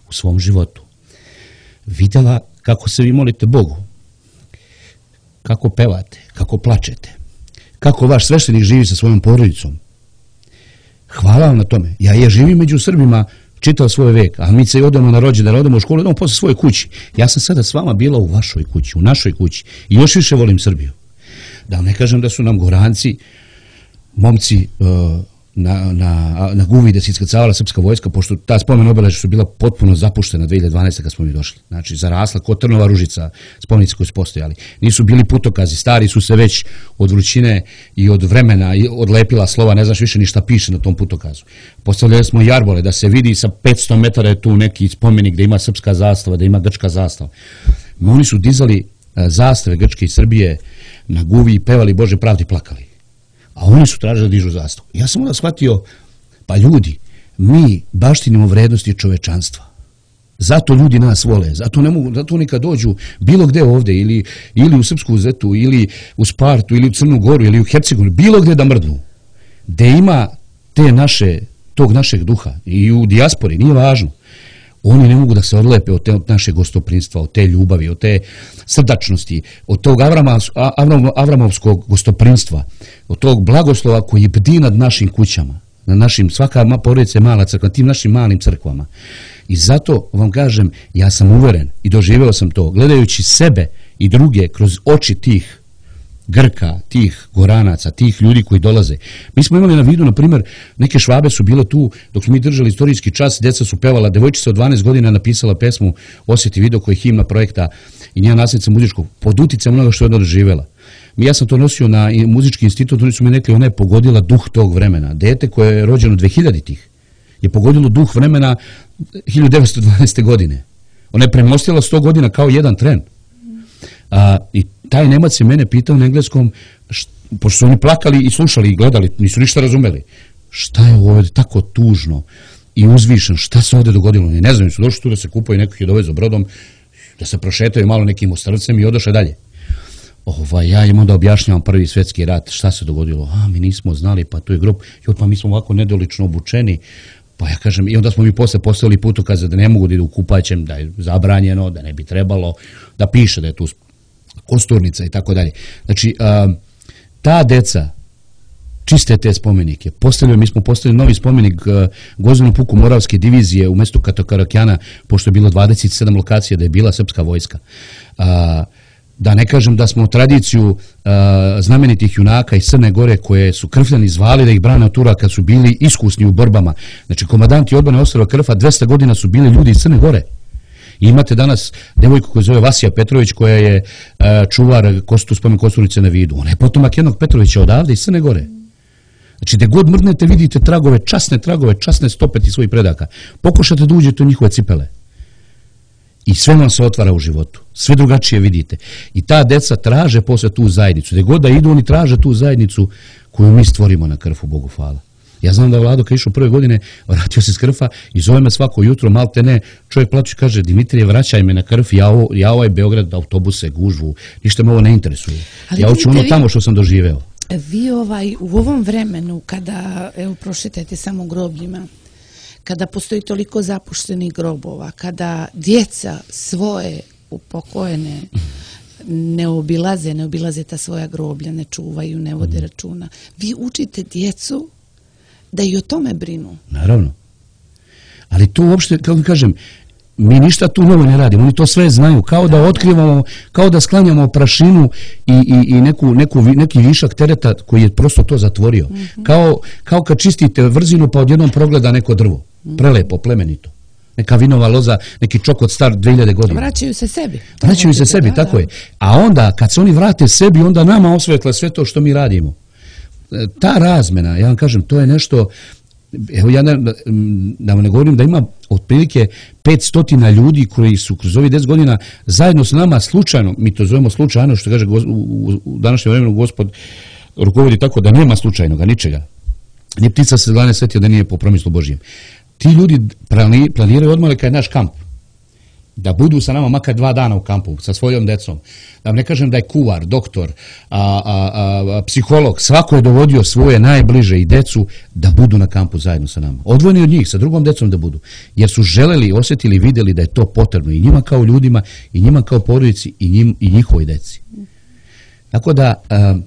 u svom životu vidjela kako se vi molite Bogu, kako pevate, kako plačete, kako vaš sveštenik živi sa svojom porodicom. Hvala vam na tome. Ja je živim među Srbima čitav svoj vek, a mi se odemo na rođendan, odemo u školu, odemo posle svoje kući. Ja sam sada s vama bila u vašoj kući, u našoj kući i još više volim Srbiju. Da ne kažem da su nam Goranci, momci, uh, na, na, na Guvi da se iskrcavala srpska vojska, pošto ta spomen obeležja su bila potpuno zapuštena dve hiljade dvanaeste. kad smo mi došli. Znači, zarasla kod Trnova Ružica, spomenici koji su postojali. Nisu bili putokazi, stari su se već od vrućine i od vremena i odlepila slova, ne znaš više ni šta piše na tom putokazu. Postavljali smo jarbole, da se vidi sa petsto metara je tu neki spomenik da ima srpska zastava, da ima grčka zastava. Oni su dizali zastave Grčke i Srbije na Guvi i pevali Bože pravdi, plakali. A oni su tražili da dižu zastavu. Ja sam onda shvatio, pa ljudi, mi baštinimo vrednosti čovečanstva. Zato ljudi nas vole, zato ne mogu, zato oni kad dođu bilo gde ovde, ili, ili u Srpsku Zetu, ili u Spartu, ili u Crnu Goru, ili u Hercegovini, bilo gde da mrdnu, gde ima te naše, tog našeg duha, i u dijaspori, nije važno. Oni ne mogu da se odlepe od, te, od naše gostoprinstva, od te ljubavi, od te srdačnosti, od tog Avrama, Avram, Avramovskog gostoprinstva, od tog blagoslova koji bdi nad našim kućama, na našim, svaka porodica je mala crkva, tim našim malim crkvama. I zato vam kažem, ja sam uveren i doživeo sam to, gledajući sebe i druge kroz oči tih Grka, tih Goranaca, tih ljudi koji dolaze. Mi smo imali na vidu, na primjer, neke Švabe su bile tu, dok smo mi držali istorijski čas, djeca su pevala, devojčica od dvanaest godina napisala pesmu Osjeti video koji je himna projekta i njena nasljednica muzičkog, pod uticajem onoga što je ona doživjela. Ja sam to nosio na muzički institut, oni su mi rekli, ona je pogodila duh tog vremena. Dete koje je rođeno dvehiljaditih je pogodilo duh vremena hiljadu devetsto dvanaeste. godine. Ona je premostila sto godina kao jedan tren. A, i taj Nemac je mene pitao na engleskom, št, pošto su oni plakali i slušali i gledali, nisu ništa razumeli, šta je ovdje tako tužno i uzvišeno, šta se ovdje dogodilo, ne znam, su došli tu da se kupaju, nekog je dovezo brodom, da se prošetaju malo nekim ostrvcem i odoše dalje. Ovaj, ja im onda objašnjavam prvi svjetski rat, šta se dogodilo, a mi nismo znali, pa tu je grob, joj, pa mi smo ovako nedolično obučeni, pa ja kažem, i onda smo mi posle postavili putokaze da ne mogu da idu u kupaćem, da je zabranjeno, da ne bi trebalo, da piše da je tu kosturnica i tako dalje. Znači, a, ta deca čiste te spomenike. Postavljaju, mi smo postavili novi spomenik uh, Gvozdenom puku Moravske divizije u mjestu Katokarakjana, pošto je bilo dvadeset sedam lokacija da je bila srpska vojska. Uh, da ne kažem da smo tradiciju uh, znamenitih junaka iz Crne Gore koje su krfljani zvali da ih brane od Turaka, su bili iskusni u borbama. Znači, komandanti odbrane ostrva Krfa dvesta godina su bili ljudi iz Crne Gore. I imate danas devojku koja zove Vasija Petrović, koja je uh, čuvar kostu spomen Kosturnice na Vidu. Ona je potomak jednog Petrovića odavde iz Crne Gore. Znači, gdje god mrdnete vidite tragove, časne tragove, časne stope tih svojih predaka. Pokušate da uđete u njihove cipele. I sve vam se otvara u životu. Sve drugačije vidite. I ta deca traže posle tu zajednicu. Gdje god da idu, oni traže tu zajednicu koju mi stvorimo na Krfu, Bogu hvala. Ja znam da Vlado kad išao prve godine, vratio se s Krfa i zove me svako jutro, malte ne, čovjek plače i kaže, Dimitrije, vraćaj me na Krf, ja, ovo, ja ovaj Beograd, autobuse, gužvu, ništa me ovo ne interesuje. Ali ja hoću ono vi, tamo što sam doživeo. Vi ovaj, u ovom vremenu, kada, evo, prošetajte samo grobljima, kada postoji toliko zapuštenih grobova, kada djeca svoje upokojene ne obilaze, ne obilaze ta svoja groblja, ne čuvaju, ne vode računa, vi učite djecu da i o tome brinu. Naravno. Ali to uopšte, kako kažem, mi ništa tu novo ne radimo, oni to sve znaju, kao da otkrivamo, kao da sklanjamo prašinu i, i, i neku, neku, neki višak tereta koji je prosto to zatvorio. Mm-hmm. Kao, kao kad čistite vrzinu pa odjednom progleda neko drvo. Prelepo, plemenito. Neka vinova loza, neki čokot star dvije hiljade godina. Vraćaju se sebi. Vraćaju se sebi, da, tako da. je. A onda, kad se oni vrate sebi, onda nama osvetle sve to što mi radimo. Ta razmena, ja vam kažem, to je nešto, evo ja ne, da vam ne govorim da ima otprilike petsto ljudi koji su kroz ovih deset godina zajedno s nama slučajno, mi to zovemo slučajno, što kaže u, u današnjem vremenu Gospod rukovodi tako da nema slučajnoga, ničega. Ni ptica se glane svetio da nije po promislu Božijem. Ti ljudi planiraju odmah kad je naš kamp. Da budu sa nama makar dva dana u kampu, sa svojom decom. Da vam ne kažem da je kuvar, doktor, a, a, a, psiholog, svako je dovodio svoje najbliže i decu da budu na kampu zajedno sa nama. Odvojeni od njih, sa drugom decom da budu. Jer su želeli, osjetili, vidjeli da je to potrebno i njima kao ljudima, i njima kao porodici, i, njim, i njihovoj deci. Tako da, a,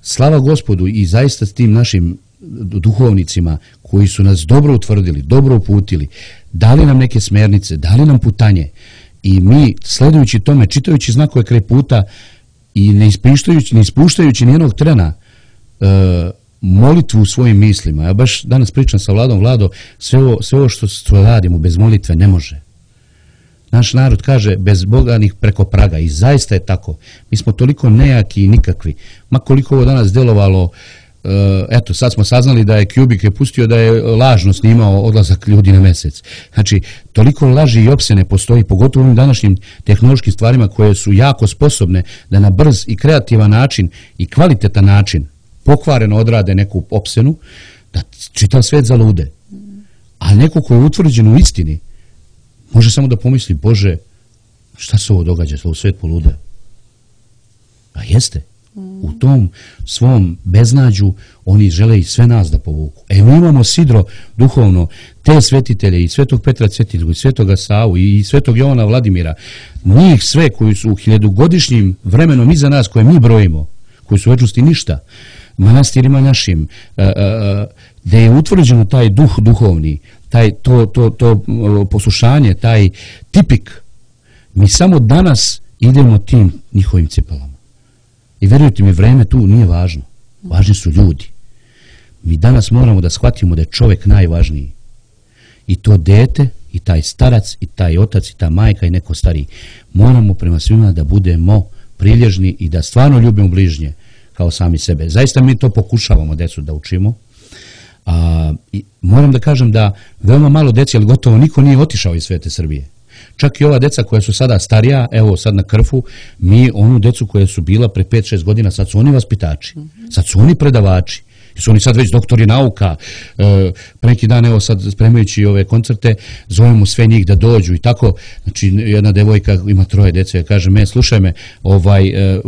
slava Gospodu i zaista s tim našim duhovnicima koji su nas dobro utvrdili, dobro uputili, dali nam neke smernice, dali nam putanje i mi, sledujući tome, čitajući znakove kraj puta i ne ispuštajući, ne ispuštajući nijednog trena e, molitvu u svojim mislima. Ja baš danas pričam sa Vladom, Vlado, sve ovo, sve ovo što, što radimo bez molitve ne može. Naš narod kaže bez boganih preko praga i zaista je tako. Mi smo toliko nejaki i nikakvi. Ma koliko ovo danas delovalo, eto, sad smo saznali da je Kubik je pustio da je lažno snimao odlazak ljudi na mesec. Znači, toliko laži i opsene postoji, pogotovo u ovim današnjim tehnološkim stvarima koje su jako sposobne da na brz i kreativan način i kvalitetan način pokvareno odrade neku opsenu, da čitav svet zalude. A neko ko je utvrđen u istini može samo da pomisli, Bože, šta se ovo događa, sve u svet polude? A jeste. U tom svom beznađu oni žele i sve nas da povuku. E, mi imamo sidro duhovno, te svetitelje i svetog Petra Cetinu, i svetoga Savu, i svetog Jovana Vladimira, njih sve koji su u hiljadugodišnjim vremenom iza nas, koje mi brojimo, koji su u večnosti ništa, manastirima našim, gde je utvrđeno taj duh duhovni, taj, to, to, to poslušanje, taj tipik, mi samo danas idemo tim njihovim cipelama. I verujte mi, vreme tu nije važno. Važni su ljudi. Mi danas moramo da shvatimo da je čovjek najvažniji. I to dete, i taj starac, i taj otac, i ta majka, i neko stariji. Moramo prema svima da budemo prilježni i da stvarno ljubimo bližnje kao sami sebe. Zaista mi to pokušavamo decu da učimo. A, i moram da kažem da veoma malo deci, ali gotovo niko nije otišao iz svete Srbije. Čak i ova deca koja su sada starija, evo sad na Krfu, mi onu decu koja su bila pre pet šest godina, sad su oni vaspitači, sad su oni predavači, su oni sad već doktori nauka, e, pre neki dan, evo sad spremajući ove koncerte, zovemo sve njih da dođu i tako, znači jedna devojka ima troje dece, kaže me, slušaj me, ovaj, e,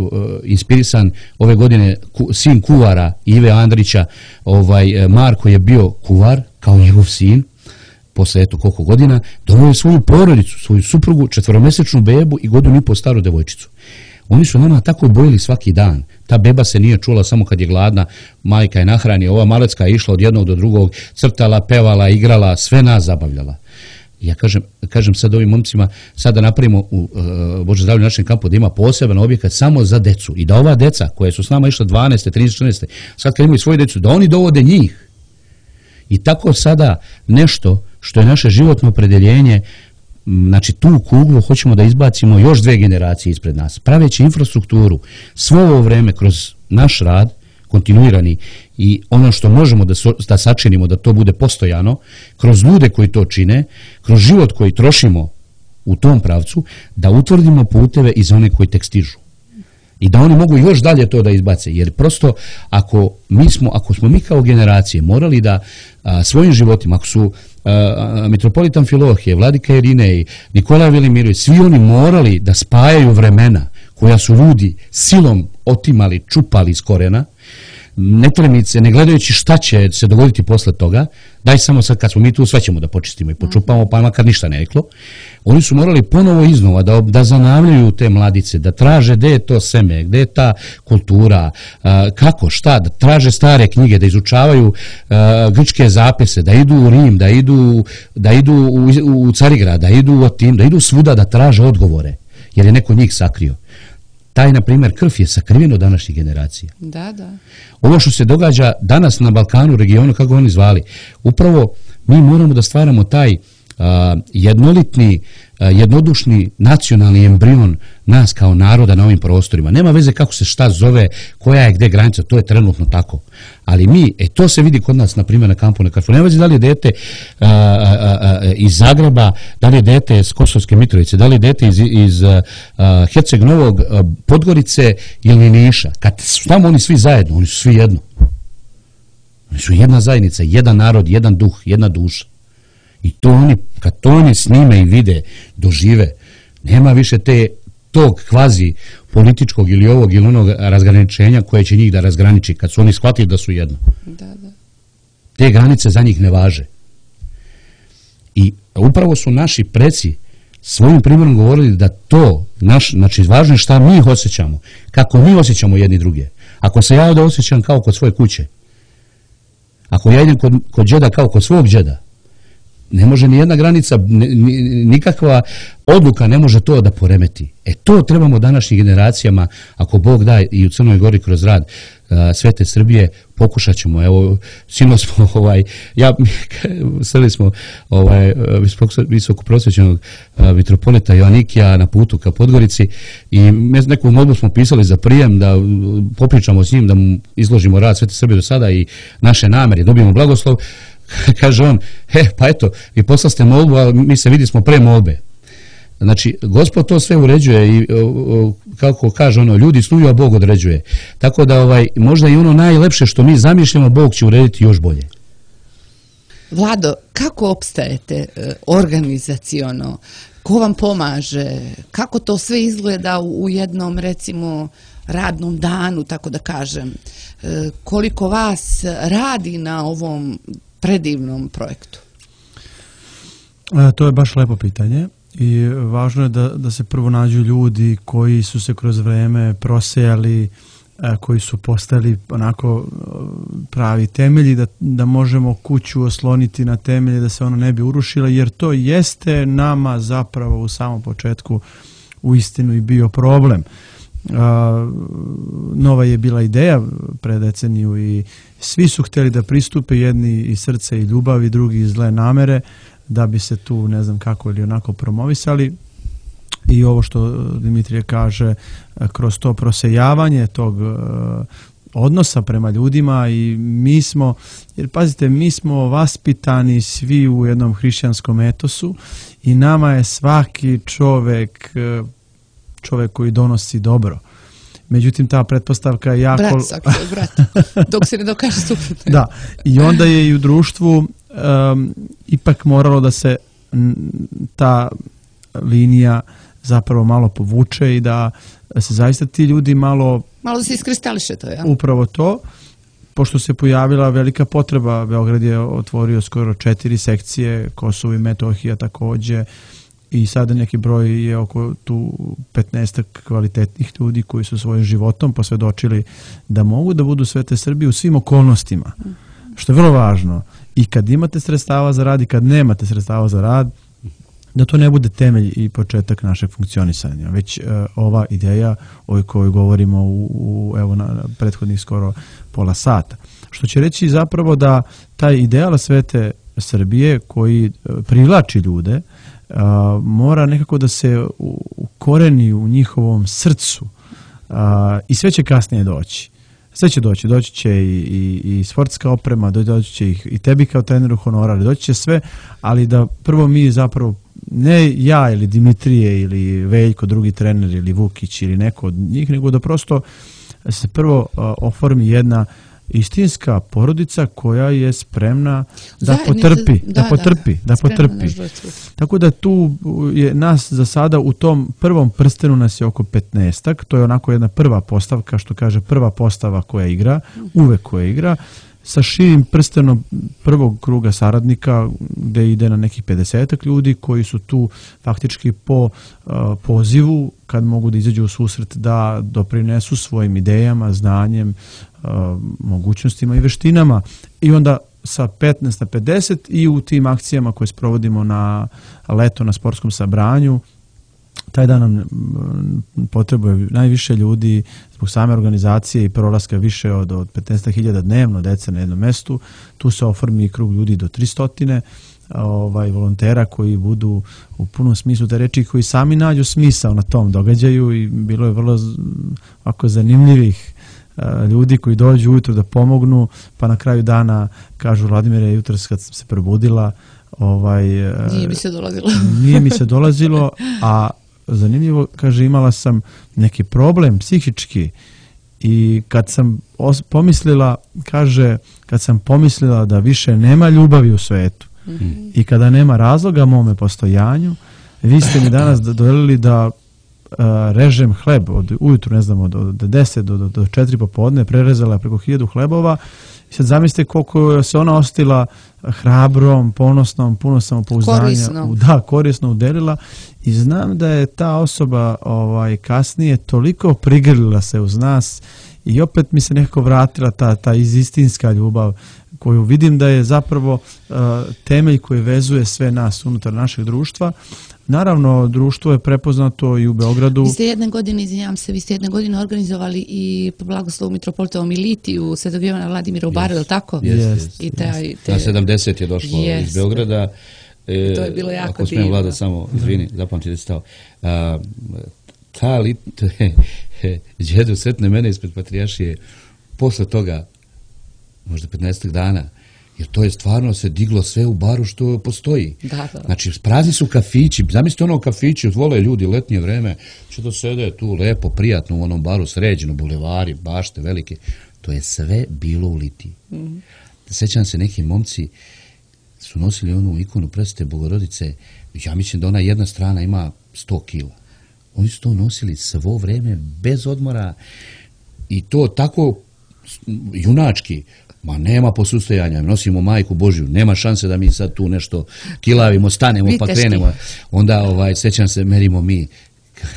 inspirisan ove godine ku, sin kuvara Ive Andrića, ovaj, Marko je bio kuvar, kao njegov sin, posle eto koliko godina, doveo svoju porodicu, svoju suprugu, četvoromesečnu bebu i godinu i po staru devojčicu. Oni su nama tako bojili svaki dan. Ta beba se nije čula samo kad je gladna, majka je nahrani, ova malecka je išla od jednog do drugog, crtala, pevala, igrala, sve nas zabavljala. Ja kažem, kažem sad ovim momcima, sad da napravimo u uh, Bože zdravlje našem kampu da ima poseban objekat samo za decu i da ova deca koje su s nama išla dvanaeste, trinaeste, četrnaeste, sad kad imaju svoju decu, da oni dovode njih. I tako sada nešto što je naše životno opredeljenje, znači tu kuglu hoćemo da izbacimo još dve generacije ispred nas, praveći infrastrukturu svo ovo vreme kroz naš rad, kontinuirani i ono što možemo da, so, da sačinimo da to bude postojano, kroz ljude koji to čine, kroz život koji trošimo u tom pravcu, da utvrdimo puteve i za one koji tek stižu. I da oni mogu još dalje to da izbace, jer prosto ako mi smo, ako smo mi kao generacije morali da a, svojim životima, ako su a, mitropolitan Filohije, Vladika Irinej, Nikola Velimirović, svi oni morali da spajaju vremena koja su ljudi silom otimali, čupali iz korena, netremice, ne gledajući šta će se dogoditi posle toga, daj samo sad kad smo mi tu, sve ćemo da počistimo i počupamo, pa makar ništa ne reklo. Oni su morali ponovo iznova da, da zanavljaju te mladice, da traže gde je to seme, gde je ta kultura, a, kako, šta, da traže stare knjige, da izučavaju a, grčke zapise, da idu u Rim, da idu, da idu u, u Carigrad, da idu u Atin, da idu svuda da traže odgovore, jer je neko njih sakrio. Taj, na primjer, krv je sakriven od današnjih generacija. Da, da. Ovo što se događa danas na Balkanu, regionu, kako oni zvali, upravo mi moramo da stvaramo taj a, jednolitni, a, jednodušni nacionalni embrion nas kao naroda na ovim prostorima. Nema veze kako se šta zove, koja je gde granica, to je trenutno tako. Ali mi, e to se vidi kod nas, na primjer, na kampu na Karfu. Nema veze da li je dete a, a, a, iz Zagreba, da li je dete iz Kosovske Mitrovice, da li je dete iz, iz a, Herceg Novog, a, Podgorice ili Niša. Kad su tamo oni svi zajedno, oni su svi jedno. Oni su jedna zajednica, jedan narod, jedan duh, jedna duša. I to oni, kad to oni snime i vide, dožive, nema više te tog kvazi političkog ili ovog ili onog razgraničenja koje će njih da razgraniči kad su oni shvatili da su jedno. Da, da. Te granice za njih ne važe. I upravo su naši preci svojim primjerom govorili da to, naš, znači važno je šta mi osjećamo, kako mi osjećamo jedni druge. Ako se ja ovdje osjećam kao kod svoje kuće, ako ja idem kod, kod džeda kao kod svog džeda, ne može ni jedna granica, nikakva odluka ne može to da poremeti. E to trebamo današnjim generacijama, ako Bog da i u Crnoj Gori kroz rad uh, Svete Srbije, pokušat ćemo. Evo, sino smo, ovaj, ja, sreli smo ovaj, visoko prosvećenog uh, mitropolita Joanikija na putu ka Podgorici i neku molbu smo pisali za prijem da popričamo s njim, da mu izložimo rad Svete Srbije do sada i naše namere, dobijemo blagoslov. Kaže on, he, pa eto, vi poslali ste molbu, a mi se vidi smo pre molbe. Znači, Gospod to sve uređuje i, o, o, kako kaže ono, ljudi snuju, a Bog određuje. Tako da, ovaj, možda i ono najlepše što mi zamišljamo, Bog će urediti još bolje. Vlado, kako opstajete e, organizaciono? Ko vam pomaže? Kako to sve izgleda u, u jednom, recimo, radnom danu, tako da kažem? E, koliko vas radi na ovom predivnom projektu? E, to je baš lepo pitanje i važno je da, da se prvo nađu ljudi koji su se kroz vreme prosejali, e, koji su postali onako pravi temelji, da, da možemo kuću osloniti na temelje, da se ona ne bi urušila, jer to jeste nama zapravo u samom početku u istinu i bio problem. Uh, nova je bila ideja pre deceniju i svi su htjeli da pristupe, jedni iz srca i ljubavi, drugi iz zle namere, da bi se tu ne znam kako ili onako promovisali. I ovo što Dimitrije kaže, kroz to prosejavanje tog uh, odnosa prema ljudima i mi smo, jer pazite, mi smo vaspitani svi u jednom hrišćanskom etosu i nama je svaki čovek uh, čovjek koji donosi dobro. Međutim, ta pretpostavka je jako... Brat, svaki svoj brat, dok se ne dokaže suprotno. Da, i onda je i u društvu um, ipak moralo da se m, ta linija zapravo malo povuče i da se zaista ti ljudi malo... Malo se iskristališe to, ja? Upravo to, pošto se pojavila velika potreba. Beograd je otvorio skoro četiri sekcije, Kosovo i Metohija takođe, i sada neki broj je oko tu petnaestak kvalitetnih ljudi koji su svojim životom posvjedočili da mogu da budu Svete Srbije u svim okolnostima, što je vrlo važno. I kad imate sredstava za rad i kad nemate sredstava za rad, da to ne bude temelj i početak našeg funkcionisanja, već uh, ova ideja o kojoj govorimo u, u evo na prethodnih skoro pola sata. Što će reći zapravo da taj ideal Svete Srbije koji privlači ljude uh, mora nekako da se ukoreni u njihovom srcu uh, i sve će kasnije doći. Sve će doći, doći će i, i, i sportska oprema, doći će i, i tebi kao treneru honorar, doći će sve, ali da prvo mi zapravo, ne ja ili Dimitrije ili Veljko, drugi trener ili Vukić ili neko od njih, nego da prosto se prvo uh, oformi jedna istinska porodica koja je spremna da Zajednice, potrpi, da, da potrpi, da, da, da potrpi. Tako da tu je nas za sada u tom prvom prstenu nas je oko petnaestak, to je onako jedna prva postavka, što kaže prva postava koja igra, uvek koja igra, sa širim prstenom prvog kruga saradnika gde ide na nekih pedesetak ljudi koji su tu faktički po uh, pozivu, kad mogu da izađu u susret, da doprinesu svojim idejama, znanjem, uh, mogućnostima i veštinama. I onda sa petnaest na pedeset i u tim akcijama koje sprovodimo na leto na sportskom sabranju, taj dan nam potrebuje najviše ljudi zbog same organizacije i prolaska više od, od petnaest hiljada dnevno dece na jednom mestu. Tu se oformi krug ljudi do tristo ovaj, volontera koji budu u punom smislu te reči, koji sami nađu smisao na tom događaju i bilo je vrlo ovako zanimljivih ljudi koji dođu ujutro da pomognu, pa na kraju dana kažu: Vladimire, jutros kad sam se probudila, ovaj, nije mi se dolazilo. nije mi se dolazilo, a zanimljivo, kaže, imala sam neki problem psihički i kad sam pomislila, kaže, kad sam pomislila da više nema ljubavi u svetu mm-hmm. i kada nema razloga mome postojanju, vi ste mi danas doveli da uh, režem hleb od ujutru, ne znam, od, od deset do, do, do četiri popodne, prerezala preko hiljadu hlebova. I sad zamislite koliko se ona ostila hrabrom, ponosnom, puno samopouzdanja. Korisno. Da, korisno udelila. I znam da je ta osoba ovaj, kasnije toliko prigrlila se uz nas i opet mi se nekako vratila ta, ta istinska ljubav koju vidim da je zapravo uh, temelj koji vezuje sve nas unutar našeg društva. Naravno, društvo je prepoznato i u Beogradu. Vi ste jedne godine, izvinjam se, vi ste jedne godine organizovali i blagoslovu mitropolitovom Militiju Svetog Jovana Vladimira u Baru, je li tako? Jest. I taj, te... Na sedamdeset je došlo yes. iz Beograda. E, to je bilo jako ako smijem, Vlada, samo, izvini, zapamti da stao. A, ta lit, djedo sretne mene ispred Patrijaršije posle toga, možda petnaest dana, jer to je stvarno se diglo sve u Baru što postoji. Da, da. Znači, prazni su kafići, zamislite ono kafići, vole ljudi letnje vreme, će da sede tu lepo, prijatno u onom Baru, sređeno, bulevari, bašte, velike. To je sve bilo u Litiji. Mm-hmm. Sećam se, neki momci su nosili onu ikonu Presvete Bogorodice, ja mislim da ona jedna strana ima sto kila. Oni su to nosili svo vreme, bez odmora, i to tako junački. Ma nema posustajanja, nosimo Majku Božju, nema šanse da mi sad tu nešto kilavimo, stanemo pa krenemo. Onda ovaj, sećam se, merimo mi,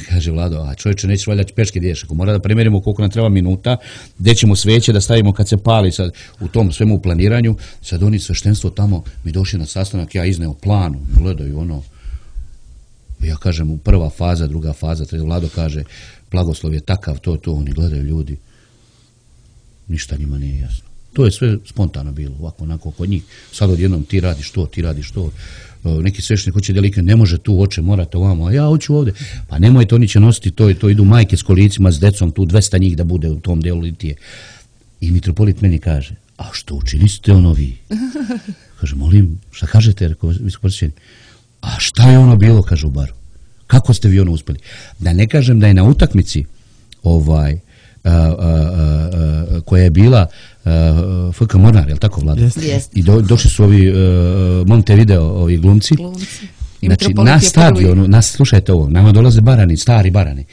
kaže Vlado, a čovječe, nećeš valjda peške diješ, ako mora da premerimo koliko nam treba minuta, gdje ćemo sveće da stavimo kad se pali sad u tom svemu planiranju. Sad oni sveštenstvo tamo, mi došli na sastanak, ja izneo planu, gledaju ono, ja kažem prva faza, druga faza, treća, Vlado kaže, blagoslov je takav, to, to, oni gledaju ljudi, ništa njima nije jasno. To je sve spontano bilo, ovako, onako, kod njih. Sad odjednom ti radiš to, ti radiš to. Neki sveštenik hoće delike, ne može tu, oče, morate ovamo, a ja hoću ovdje. Pa nemojte, oni će nositi to i to, idu majke s kolicima, s decom, tu dvesta njih da bude u tom delu Litije. I mitropolit meni kaže, a što učiniste ono vi? Kaže, molim, šta kažete, visokoprosvećeni? A šta je ono bilo, kaže u Baru? Kako ste vi ono uspeli? Da ne kažem da je na utakmici ovaj, a, a, a, koja je bila F K Mornar, je li tako, Vlada? Yes. Yes. I do, došli su ovi uh, Montevideo, ovi glumci. glumci. Znači, na stadionu, nas, slušajte ovo, nama dolaze barani, stari barani,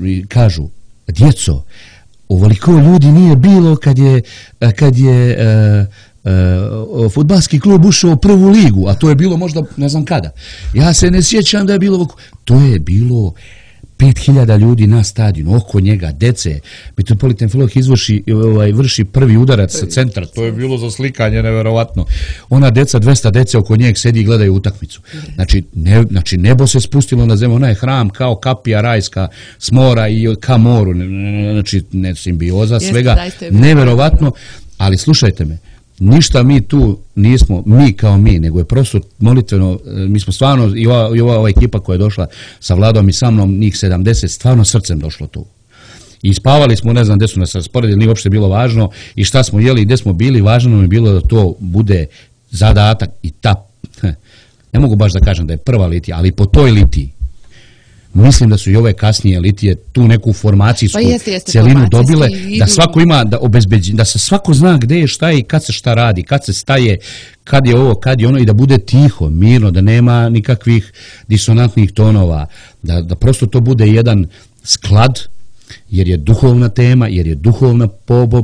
i kažu, djeco, ovoliko ljudi nije bilo kad je, kad je uh, uh, fudbalski klub ušao u prvu ligu, a to je bilo možda ne znam kada. Ja se ne sjećam da je bilo, to je bilo pet hiljada ljudi na stadionu, oko njega, dece. Mitropolitan Filolog izvrši, ovaj, vrši prvi udarac sa centra, to je bilo za slikanje, neverovatno. Ona deca, dvesta dece oko njeg sedi i gledaju utakmicu. Znači, ne, znači nebo se spustilo na zemlju, ona je hram kao kapija rajska s mora i ka moru, znači ne simbioza, svega, neverovatno, ali slušajte me, ništa mi tu nismo, mi kao mi, nego je prosto molitveno, mi smo stvarno, i ova, i ova, ova ekipa koja je došla sa Vladom i sa mnom, njih sedamdeset, stvarno srcem došlo tu. I spavali smo, ne znam gdje su nas rasporedili, nije uopšte bilo važno, i šta smo jeli i gdje smo bili, važno nam je bilo da to bude zadatak i ta, ne mogu baš da kažem da je prva litija, ali po toj litiji, mislim da su i ove kasnije litije tu neku formacijsku pa jeste, jeste, celinu dobile, da svako ima, da obezbeđi, da se svako zna gdje je, šta je i kad se šta radi, kad se staje, kad je ovo, kad je ono, i da bude tiho, mirno, da nema nikakvih disonantnih tonova, da, da prosto to bude jedan sklad, jer je duhovna tema, jer je duhovna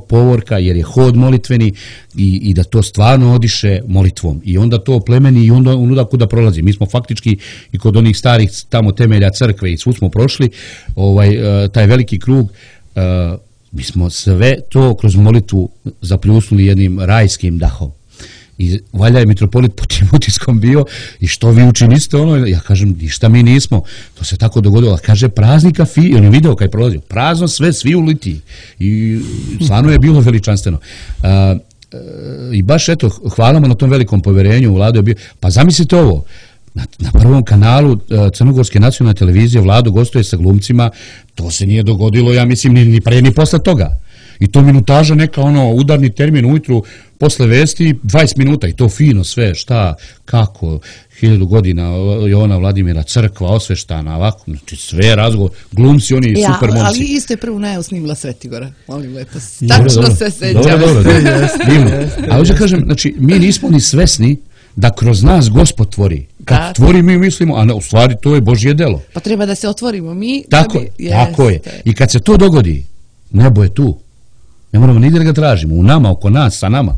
povorka, jer je hod molitveni i, i da to stvarno odiše molitvom. I onda to plemeni i onda onuda kuda prolazi. Mi smo faktički i kod onih starih tamo temelja crkve i svu smo prošli, ovaj, taj veliki krug, mi smo sve to kroz molitvu zapljusnuli jednim rajskim dahom. I valja je mitropolit po tim utiskom bio i što vi učiniste ono, ja kažem ništa mi nismo, to se tako dogodilo, kaže praznika fi, on je video kaj je prolazio, prazno sve, svi u litiji i stvarno je bilo veličanstveno. A, i baš eto, hvalamo na tom velikom povjerenju, Vlado je bio, pa zamislite ovo, na, na prvom kanalu Crnogorske nacionalne televizije Vlado gostuje sa glumcima, to se nije dogodilo, ja mislim, ni, ni pre ni posle toga. I to minutaža neka, ono, udarni termin ujutru, posle vesti, dvadeset minuta, i to fino sve, šta, kako, hiljadu godina, Jovana Vladimira, crkva, osveštana, ovako, znači sve razgovor, glumci, oni ja, super momci. Ali isto je prvu najavu snimila Svetigora, molim lepo, tačno dobro, se sećam. Dobro, dobro, dobro, a hoće kažem, znači, mi nismo ni svesni da kroz nas Gospod tvori. Kad da, tvori mi mislimo, a ne, u stvari to je Božje delo. Pa treba da se otvorimo mi. Tako, da bi, tako je. I kad se to dogodi, nebo je tu. Ne moramo nigdje da ga tražimo, u nama, oko nas, sa nama.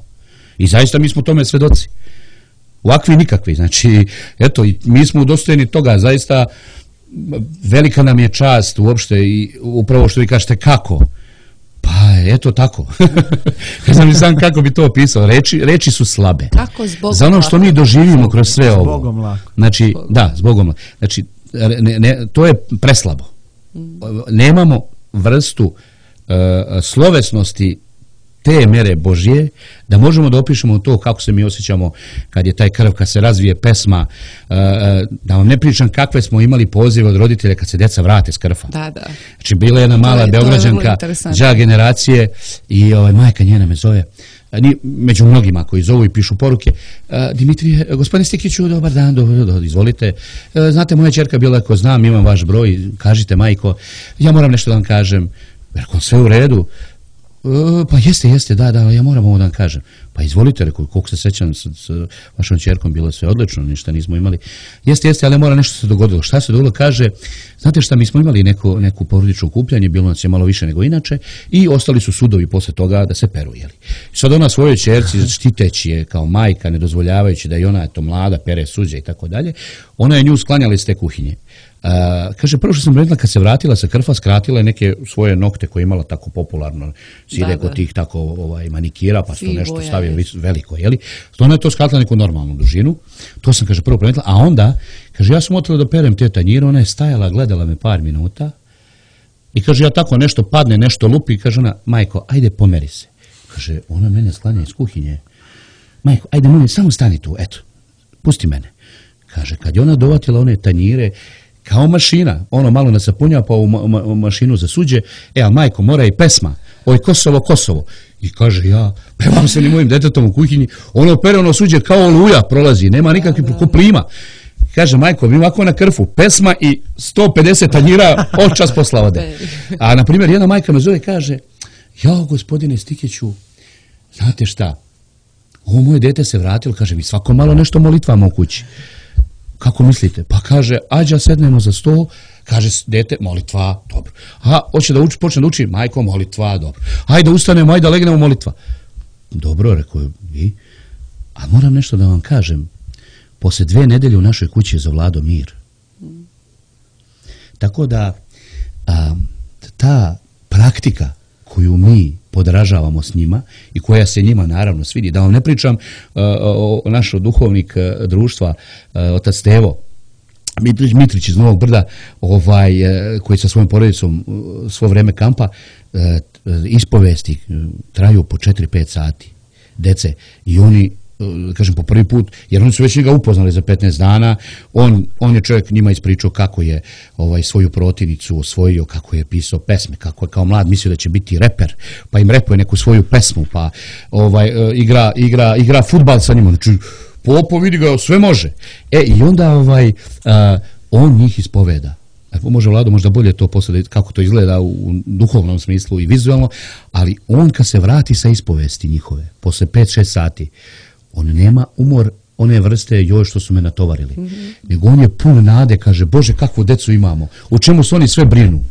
I zaista mi smo tome svedoci. Ovakvi nikakvi, znači, eto, i mi smo udostojeni toga, zaista velika nam je čast uopšte i upravo što vi kažete kako. Pa, eto tako. Ne znam ni sam kako bi to opisao. Reči, reči su slabe. Kako zbog za ono što mi doživimo kroz sve ovo. Zbogom lako. Znači, zbogom. Da, zbogom lako. Znači, ne, ne, to je preslabo. Nemamo vrstu uh, slovesnosti te mere Božje, da možemo da opišemo to kako se mi osjećamo kad je taj krv, kad se razvije pesma, da vam ne pričam kakve smo imali pozive od roditelja kad se deca vrate s krfa. Da, da. Znači, bila je jedna mala je, Beograđanka, đa generacije i ovaj, majka njena me zove, ni, među mnogima koji zovu i pišu poruke, Dimitrije, gospodine Stikiću, dobar dan, dobro, dobro, izvolite, znate, moja ćerka bila, ako znam, imam vaš broj, kažite, majko, ja moram nešto da vam kažem, jer ako sve u redu, Uh, pa jeste, jeste, da, da, ja moram ovo da vam kažem. Pa izvolite, rekao, koliko se sećam s, s vašom ćerkom, bilo je sve odlično, ništa nismo imali. Jeste, jeste, ali mora nešto se dogodilo. Šta se dogodilo? Kaže, znate šta, mi smo imali neko, neku porodično okupljanje, bilo nas je malo više nego inače, i ostali su sudovi posle toga da se peru, jeli. I sad ona svojoj ćerci, štiteći je kao majka, ne dozvoljavajući da i ona, eto, mlada, pere suđe i tako dalje, ona je nju sklanjala iz te kuhinje. Uh, kaže, prvo što sam rekla, kad se vratila sa krfa, skratila je neke svoje nokte koje je imala tako popularno, side kod tih tako ovaj, manikira, pa što nešto stavio veliko, jeli? Ona je to skratila neku normalnu dužinu, to sam, kaže, prvo primetila, a onda, kaže, ja sam otela da perem te tanjire, ona je stajala, gledala me par minuta i kaže, ja tako nešto padne, nešto lupi, kaže ona, majko, ajde pomeri se. Kaže, ona mene sklanja iz kuhinje, majko, ajde, molim, samo stani tu, eto, pusti mene. Kaže, kad je ona dovatila one tanjire, kao mašina, ono malo nasapunja pa u ma ma mašinu za suđe, e, a majko, mora i pesma, oj Kosovo, Kosovo. I kaže, ja, pevam se ni mojim detetom u kuhinji, ono pere ono suđe kao oluja prolazi, nema nikakvih ko plima. Kaže, majko, mi ovako na krfu, pesma i sto pedeset tanjira očas posla ode. A, na primjer, jedna majka me zove, kaže, jao, gospodine Stikiću, znate šta, ovo moje dete se vratilo, kaže, mi svako malo nešto molitvamo u kući. Kako mislite? Pa kaže, ađa sednemo za sto, kaže, dete, molitva, dobro. A, hoće da uči, počne da uči, majko, molitva, dobro. Ajde, ustanemo, ajde, legnemo, molitva. Dobro, rekao je, i? A moram nešto da vam kažem, posle dve nedelje u našoj kući je zavladao mir. Tako da a, ta praktika koju mi podražavamo s njima i koja se njima naravno svidi, da vam ne pričam a, o, o naš duhovnik a, društva, a, otac Stevo Mitrić, Mitrić iz Novog Brda, ovaj, a, koji sa svojom porodicom a, svo vreme kampa, a, ispovesti traju po četiri pet sati, dece, i oni, kažem, po prvi put, jer oni su već njega upoznali za petnaest dana, on, on je čovjek njima ispričao kako je ovaj, svoju protivnicu osvojio, kako je pisao pesme, kako je kao mlad mislio da će biti reper, pa im repuje neku svoju pesmu, pa ovaj, igra, igra, igra fudbal sa njima, znači, popo vidi ga, sve može. E, i onda ovaj, a, on njih ispoveda. Može Vlado možda bolje to posle kako to izgleda u duhovnom smislu i vizualno, ali on kad se vrati sa ispovesti njihove, posle pet šest sati, on nema umor one vrste joj što su me natovarili. Mm-hmm. Nego on je pun nade, kaže, Bože, kakvu decu imamo, o čemu su oni sve brinu.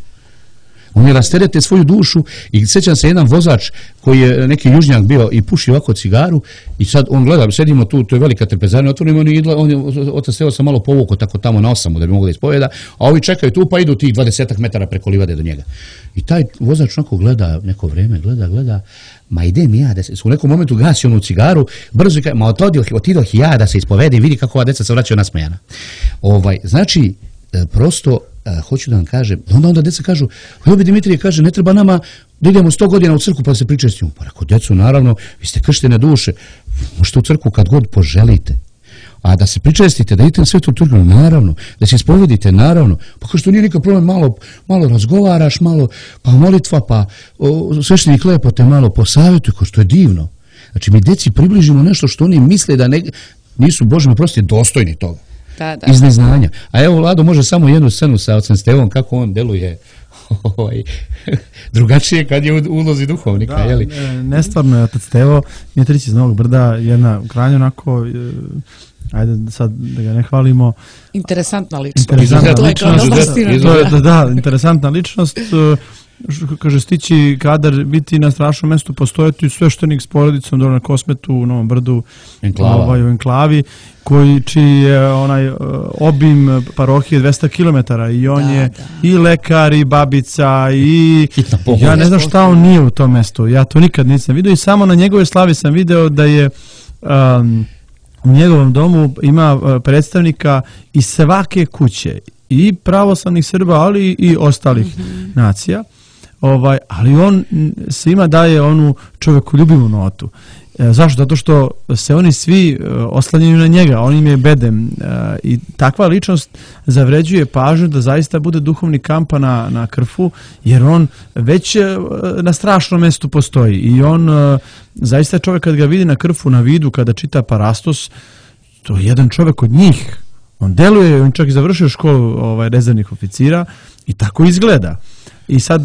Oni rasterete svoju dušu i sjećam se jedan vozač koji je neki južnjak bio i puši ovako cigaru i sad on gleda, sedimo tu, to je velika trpezarina, otvorimo on i on je, otac Stevo sam malo povukao tako tamo na osamu da bi mogli da ispoveda, a ovi čekaju tu pa idu tih dvadesetak metara preko livade do njega. I taj vozač onako gleda neko vreme, gleda, gleda, ma idem ja, da se, u nekom momentu gasi onu cigaru, brzo i kaže, ma otidoh, otidoh ja da se ispovedem, vidi kako ova deca se vraćaju nasmejana. Ovaj, znači, prosto, a, hoću da vam kažem, onda onda deca kažu, Ljubi Dimitrije kaže, ne treba nama da idemo sto godina u crkvu pa se pričaju s njom. Pa rekao, deco, naravno, vi ste krštene duše, možete u crkvu kad god poželite. A da se pričestite, da idete na svetu liturgiju, naravno, da se ispovedite, naravno. Pa kao što nije nikak problem, malo, malo razgovaraš, malo, pa molitva, pa o, sveštenik lepo te malo posavjetuje, kao što je divno. Znači, mi deci približimo nešto što oni misle da ne, nisu, Bože mi prosti, dostojni toga. Da, da. Iz neznanja. A evo, Vlado može samo jednu scenu sa ocem Stevom, kako on deluje ovaj, drugačije kad je u ulozi duhovnika. Da, jeli? Nestvarno je otac Stevo Mitrić iz Novog Brda, jedna krajnje onako, ajde sad da ga ne hvalimo, Interesantna ličnost. Interesantna ličnost. To je, da, da, interesantna ličnost. Kaže, stići kadar biti na strašnom mestu, postojati sveštenik s porodicom dole na Kosmetu u Novom Brdu, Enklava. Ovaj, u enklavi, koji čiji je onaj obim parohije dvesta kilometara i on Da, je da. i lekar i babica i Hitna pomoć. ja ne znam šta on nije u tom mestu, ja to nikad nisam vidio i samo na njegove slavi sam video da je um, u njegovom domu ima uh, predstavnika iz svake kuće i pravoslavnih Srba, ali i ostalih mm-hmm. nacija. Ovaj, ali on svima daje onu čovjekoljubivu notu. E, zašto? Zato što se oni svi e, oslanjaju na njega, on im je bedem e, i takva ličnost zavređuje pažnju da zaista bude duhovni kampa na, na Krfu, jer on već e, na strašnom mestu postoji i on e, zaista čovjek kad ga vidi na Krfu, na vidu, kada čita Parastos, to je jedan čovjek od njih. On deluje, on čak i završio školu ovaj, rezervnih oficira i tako izgleda. I sad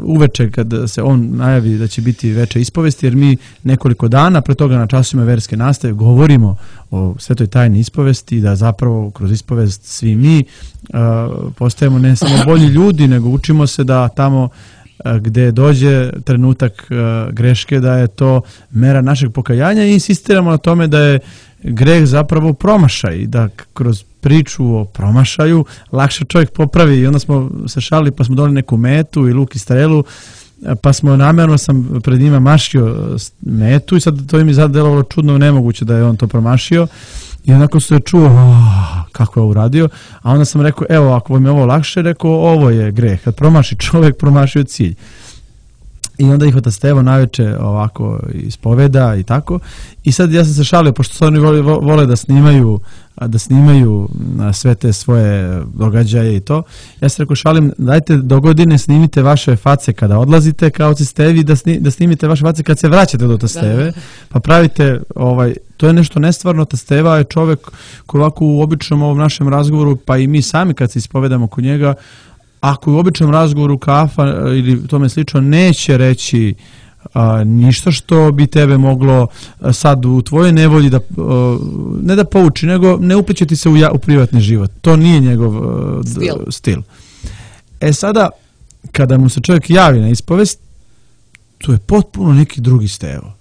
uveče kad se on najavi da će biti veče ispovesti, jer mi nekoliko dana pre toga na časovima verske nastave govorimo o svetoj tajni ispovesti, da zapravo kroz ispovest svi mi uh, postajemo ne samo bolji ljudi, nego učimo se da tamo uh, gde dođe trenutak uh, greške, da je to mera našeg pokajanja i insistiramo na tome da je greh zapravo promašaj, da kroz priču o promašaju lakše čovjek popravi i onda smo se šalili pa smo dali neku metu i luk i strelu pa smo namjerno sam pred njima mašio metu i sad to im je zadelovalo čudno nemoguće da je on to promašio i onako se čuo oh, kako je uradio, a onda sam rekao evo ako vam je ovo lakše, rekao ovo je greh, kad promaši čovjek promašio cilj. I onda ih otac Stevo naveče ovako ispoveda i tako. I sad ja sam se šalio, pošto su oni vole, vole da snimaju da snimaju sve te svoje događaje i to. Ja sam rekao, šalim, dajte do godine snimite vaše face kada odlazite kao otac Stevi, da, sni, da snimite vaše face kad se vraćate do otac Steve, pa pravite, ovaj, to je nešto nestvarno. Otac Steva je čovjek koji ovako u običnom ovom našem razgovoru, pa i mi sami kad se ispovedamo kod njega, ako u običnom razgovoru kafa ili tome slično neće reći a, ništa što bi tebe moglo a, sad u tvojoj nevolji da a, ne da pouči, nego ne upliće ti se u, ja, u privatni život. To nije njegov a, stil. D, stil. E sada, kada mu se čovjek javi na ispovest, to je potpuno neki drugi Stevo.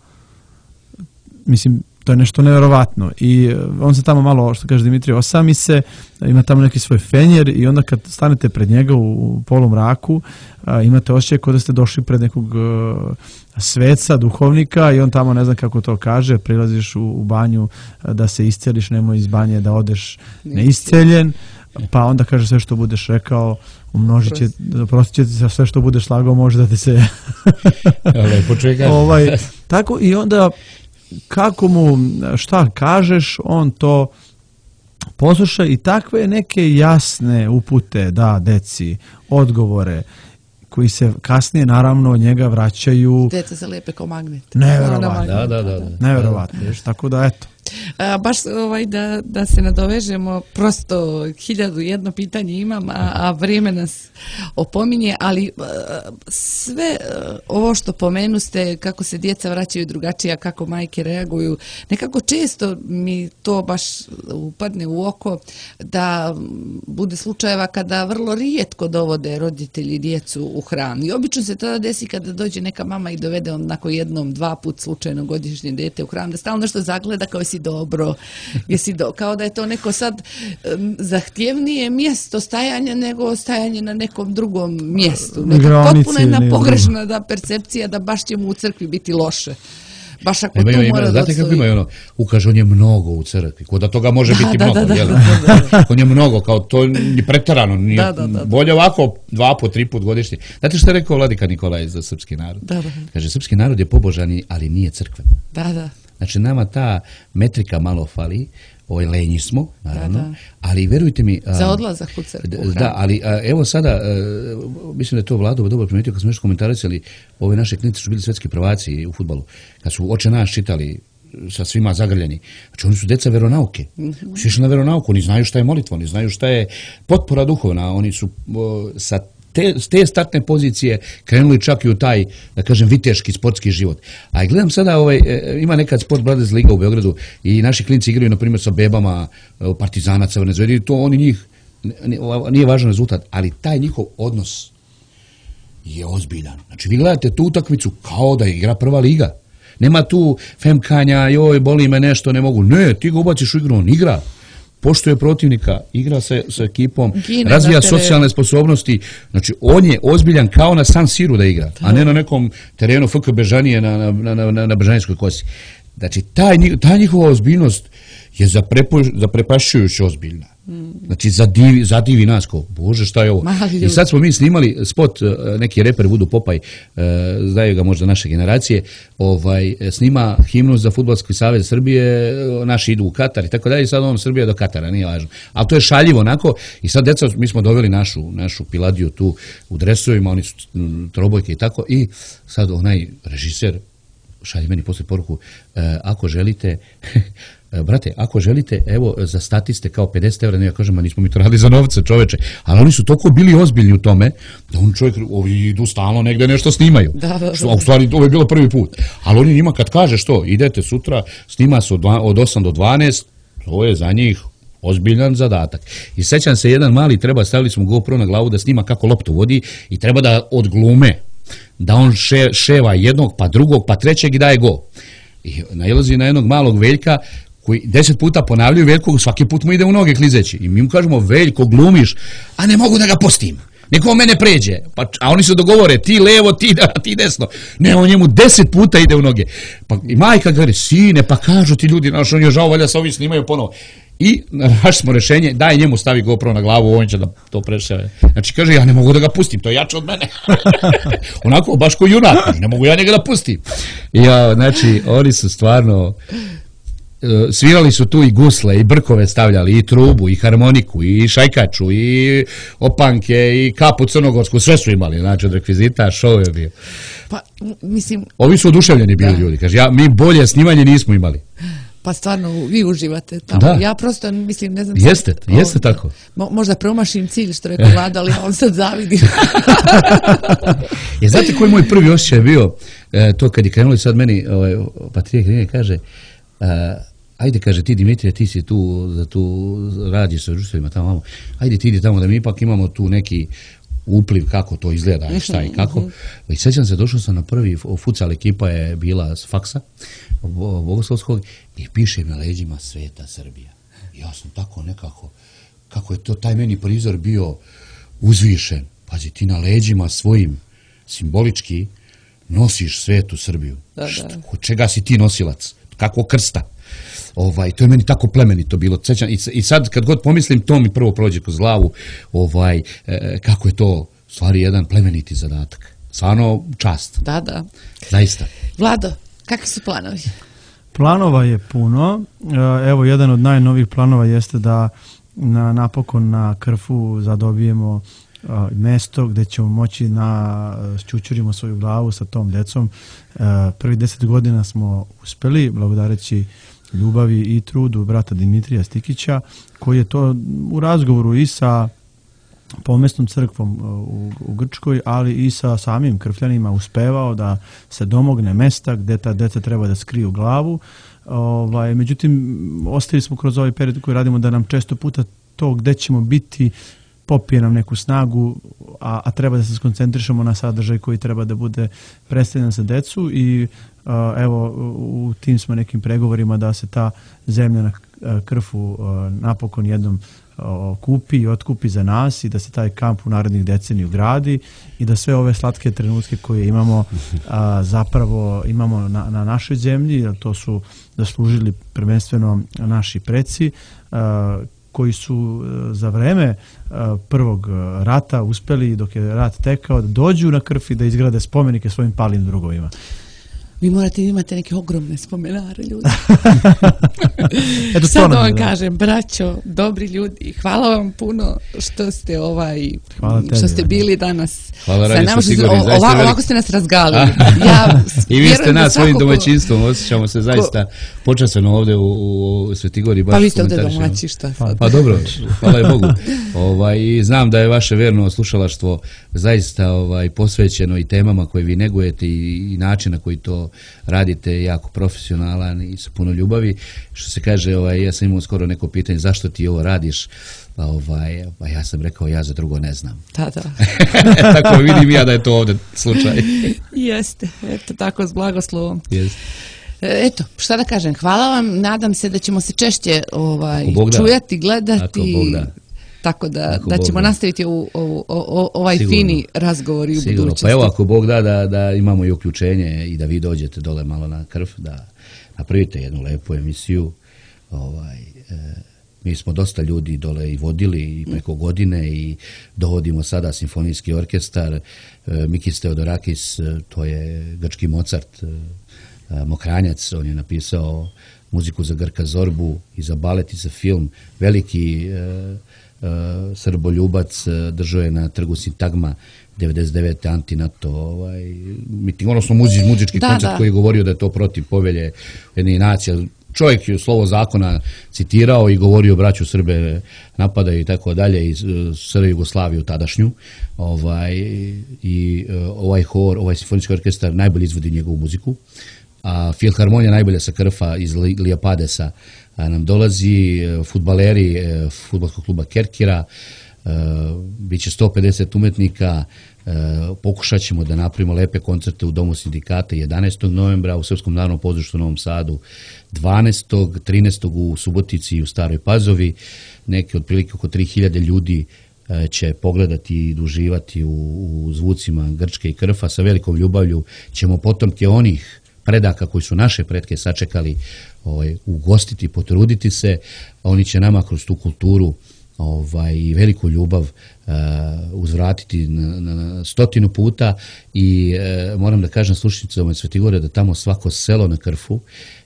Mislim, To je nešto nevjerovatno i on se tamo malo, što kaže Dimitrije, osami se, ima tamo neki svoj fenjer i onda kad stanete pred njega u polumraku, imate osjećaj kao da ste došli pred nekog sveca, duhovnika i on tamo, ne znam kako to kaže, prilaziš u, u banju da se isceliš, nemoj iz banje da odeš neisceljen, pa onda kaže sve što budeš rekao, umnožit će, prostit će ti za sve što budeš slagao, može da ti se... ovaj, tako i onda kako mu šta kažeš, on to posluša i takve neke jasne upute da deci, odgovore koji se kasnije naravno od njega vraćaju. Deca se lepe kao magnet. Neverovatno. Da, da, da, da. Neverovatno, viš, tako da eto. A, baš ovaj, da, da se nadovežemo, prosto hiljadu jedno pitanje imam, a, a vrijeme nas opominje, ali a, sve a, ovo što pomenuste, kako se djeca vraćaju drugačije, kako majke reaguju, nekako često mi to baš upadne u oko da bude slučajeva kada vrlo rijetko dovode roditelji djecu u hram. I obično se to desi kada dođe neka mama i dovede onako jednom, dva put slučajno godišnje dete u hram, da stalno nešto zagleda kao si dobro, jesi do, kao da je to neko sad um, zahtjevnije mjesto stajanja nego stajanje na nekom drugom mjestu. Neka potpuno jedna pogrešna da percepcija da baš će mu u crkvi biti loše. Baš ako ima, tu ima, mora da znate kako ima ono, ukaže on je mnogo u crkvi, kod da toga može da, biti da, mnogo, da, jel? Da, da, da. On je mnogo, kao to je preterano, nije, da, da, da, bolje ovako dva po, tri put godišnje. Znate što je rekao vladika Nikolaj za srpski narod? Da, da. Kaže, srpski narod je pobožan, ali nije crkven. Da, da. Znači, nama ta metrika malo fali, ovaj lenji smo, naravno, da, da. ali verujte mi... A, za odlazak u crkvu. Da, ali a, evo sada, a, mislim da je to Vlado dobro primetio kad smo nešto komentarisali, ove naše klinice su bili svetski prvaci u fudbalu, kad su Oče naš čitali sa svima zagrljeni. Znači, oni su deca veronauke. Mm-hmm. Su išli na veronauku, oni znaju šta je molitva, oni znaju šta je potpora duhovna, oni su o, sa Te, s te startne pozicije krenuli čak i u taj, da kažem, viteški sportski život. A gledam sada, ovaj, ima nekad Sport Brothers Liga u Beogradu i naši klinci igraju, na primjer, sa bebama Partizana, Crvene Zvezde, i to oni njih, nije važan rezultat, ali taj njihov odnos je ozbiljan. Znači, vi gledate tu utakmicu kao da igra prva liga. Nema tu femkanja, joj, boli me nešto, ne mogu. Ne, ti ga ubaciš u igru, on igra. Poštuje protivnika, igra se sa ekipom, Gine razvija socijalne sposobnosti. Znači, on je ozbiljan kao na San Siru da igra, da. A ne na nekom terenu F K Bežanije na, na, na, na, na Bežanijskoj kosi. Znači, taj, ta njihova ozbiljnost je zaprepašćujuće ozbiljna. Mm. Znači, zadivi, zadivi nas ko, bože, šta je ovo? I sad smo mi snimali spot, neki reper Vudu Popaj, znaju ga možda naše generacije, ovaj, snima himnu za Fudbalski savez Srbije, naši idu u Katar i tako dalje, i sad on Srbija do Katara, nije važno. Ali to je šaljivo onako, i sad deca, mi smo doveli našu, našu Piladiju tu u dresovima, oni su trobojke i tako, i sad onaj režiser šalje meni posle poruku, ako želite... Brate, ako želite, evo, za statiste kao pedeset evra, ne ja kažem, a nismo mi to radili za novce, čoveče, ali oni su toliko bili ozbiljni u tome, da on čovjek, ovi idu stalno negde nešto snimaju. Da, da, da. A u stvari, ovo je bilo prvi put. Ali oni njima kad kaže što, idete sutra, snima se od, od osam do dvanaest, to je za njih ozbiljan zadatak. I sećam se, jedan mali, treba, stavili smo GoPro na glavu da snima kako loptu vodi i treba da odglume, da on še, ševa jednog, pa drugog, pa trećeg i daje go. I nailazi na jednog malog Veljka, koji deset puta ponavljaju Veljko, svaki put mu ide u noge klizeći. I mi mu kažemo, Veljko, glumiš, a ne mogu da ga pustim. Neko mene pređe. Pa, a oni se dogovore, ti levo, ti, da, ti desno. Ne, on njemu deset puta ide u noge. Pa i majka kaže, sine, pa kažu ti ljudi, znaš, on je žao, valjda se ovi snimaju ponovo. I našli smo rešenje, daj njemu stavi GoPro na glavu, on će da to prešave. Znači kaže, ja ne mogu da ga pustim, to je jače od mene. Onako, baš ko junak, ne mogu ja njega da pustim. I ja, znači, oni su stvarno... Svirali su tu i gusle, i brkove stavljali, i trubu, i harmoniku, i šajkaču, i opanke, i kapu crnogorsku, sve su imali, znači od rekvizita, show je bio. Pa, mislim... Ovi su oduševljeni bili da. Ljudi, kaže, ja, mi bolje snimanje nismo imali. Pa stvarno, vi uživate tamo. Da. Ja prosto, mislim, ne znam... Jeste, sam, jeste o, tako. Mo, možda promašim cilj, što rekao Vlada, ali ja vam sad zavidim. Je, znate koji moj prvi osjećaj bio, e, to kad je krenulo sad meni, ovaj, Patrije Hrine kaže, Uh, ajde, kaže, ti Dimitrije, ti si tu, da tu radiš sa društvima tamo, ajde ti ide tamo da mi ipak imamo tu neki upliv kako to izgleda i šta i kako. I sjećam se, došao sam na prvi futsal, ekipa je bila s faksa Bogoslovskog i piše na leđima Sveta Srbija. I ja sam tako nekako, kako je to taj meni prizor bio uzvišen. Pazi, ti na leđima svojim simbolički nosiš Svetu Srbiju. Da, da. Što, čega si ti nosilac? Kako krsta? Ovaj, to je meni tako plemenito bilo. Sećam, i, I sad kad god pomislim, to mi prvo prođe kroz glavu, ovaj, e, kako je to stvari jedan plemeniti zadatak. Stvarno čast. Da, da. Zaista. Vlado, kakvi su planovi? Planova je puno. Evo, jedan od najnovijih planova jeste da na, napokon na Krfu zadobijemo a, mesto gdje ćemo moći na šćućurimo svoju glavu sa tom djecom. A, prvi deset godina smo uspjeli, благодарeći ljubavi i trudu brata Dimitrija Stikića, koji je to u razgovoru i sa pomesnom crkvom u, u Grčkoj, ali i sa samim Krfljanima uspevao da se domogne mesta gdje ta djeca treba da skriju glavu. Ovaj, međutim, ostavili smo kroz ovaj period koji radimo da nam često puta to gdje ćemo biti popije nam neku snagu, a, a treba da se skoncentrišemo na sadržaj koji treba da bude predstavljen za decu i a, evo u tim smo nekim pregovorima da se ta zemlja na Krfu a, napokon jednom a, kupi i otkupi za nas i da se taj kamp u narednih deceniju gradi i da sve ove slatke trenutke koje imamo a, zapravo imamo na, na našoj zemlji, jer to su zaslužili prvenstveno naši preci, a, koji su za vreme prvog rata uspjeli, dok je rat tekao, da dođu na Krf i da izgrade spomenike svojim palim drugovima. Vi morate imate neke ogromne spomenare, ljudi. Eto, sad vam kažem, braćo, dobri ljudi, hvala vam puno što ste ovaj, tebi, što ste bili danas hvala sa nama. Sigurni, o, ovako, velik... ovako ste nas razgalili. Ja I vi ste nas svojim ko... domaćinstvom, osjećamo se zaista ko... počastveno ovdje u, u Svetigori. Pa vi ste ovdje domaći, šta sad? Pa dobro, hvala je Bogu. Ovaj, i znam da je vaše verno slušalaštvo zaista ovaj, posvećeno i temama koje vi negujete i, i način na koji to radite jako profesionalan i sa puno ljubavi. Što se kaže, ovaj, ja sam imao skoro neko pitanje zašto ti ovo radiš, pa ovaj, pa ja sam rekao ja za drugo ne znam. Da, da. Tako vidim ja da je to ovdje slučaj. Jeste, eto tako s blagoslovom. Jeste. Eto, šta da kažem, hvala vam, nadam se da ćemo se češće ovaj, čujati, gledati. Tako da, da ćemo da. nastaviti u, u, u, ovaj Sigurno. fini razgovor i u Sigurno. budućnosti. Pa evo, ako Bog da, da da imamo i uključenje i da vi dođete dole malo na Krf, da napravite jednu lepu emisiju. Ovaj, e, mi smo dosta ljudi dole i vodili i preko godine i dovodimo sada simfonijski orkestar. E, Mikis Theodorakis, to je grčki Mozart, e, Mokranjac, on je napisao muziku za Grka Zorbu i za balet i za film. Veliki e, Uh, srboljubac, uh, držao je na trgu Sintagma devedeset devete anti-NATO ovaj, miting, odnosno muzi, muzički da, koncert da. koji je govorio da je to protiv povelje jednih nacija. Čovjek je slovo zakona citirao i govorio braću Srbe napadaju i tako dalje i Srbe Jugoslaviju tadašnju. Ovaj, i uh, ovaj hor, ovaj simfonijski orkestar najbolje izvodi njegovu muziku. A Filharmonija najbolja sa Krfa iz Lijapadesa nam dolazi, fudbaleri fudbalskog kluba Kerkira, bit će sto pedeset umetnika, pokušat ćemo da napravimo lepe koncerte u Domu sindikata jedanaestog novembra, u Srpskom narodnom pozorištu u Novom Sadu dvanaestog, trinaestog u Subotici i u Staroj Pazovi, neki otprilike oko tri hiljade ljudi će pogledati i uživati u, u zvucima Grčke i Krfa. Sa velikom ljubavlju ćemo potomke onih predaka koji su naše pretke sačekali ovaj, ugostiti, potruditi se, a oni će nama kroz tu kulturu ovaj, i veliku ljubav uh, uzvratiti na, na stotinu puta i uh, moram da kažem slušnicama Svetigore da tamo svako selo na Krfu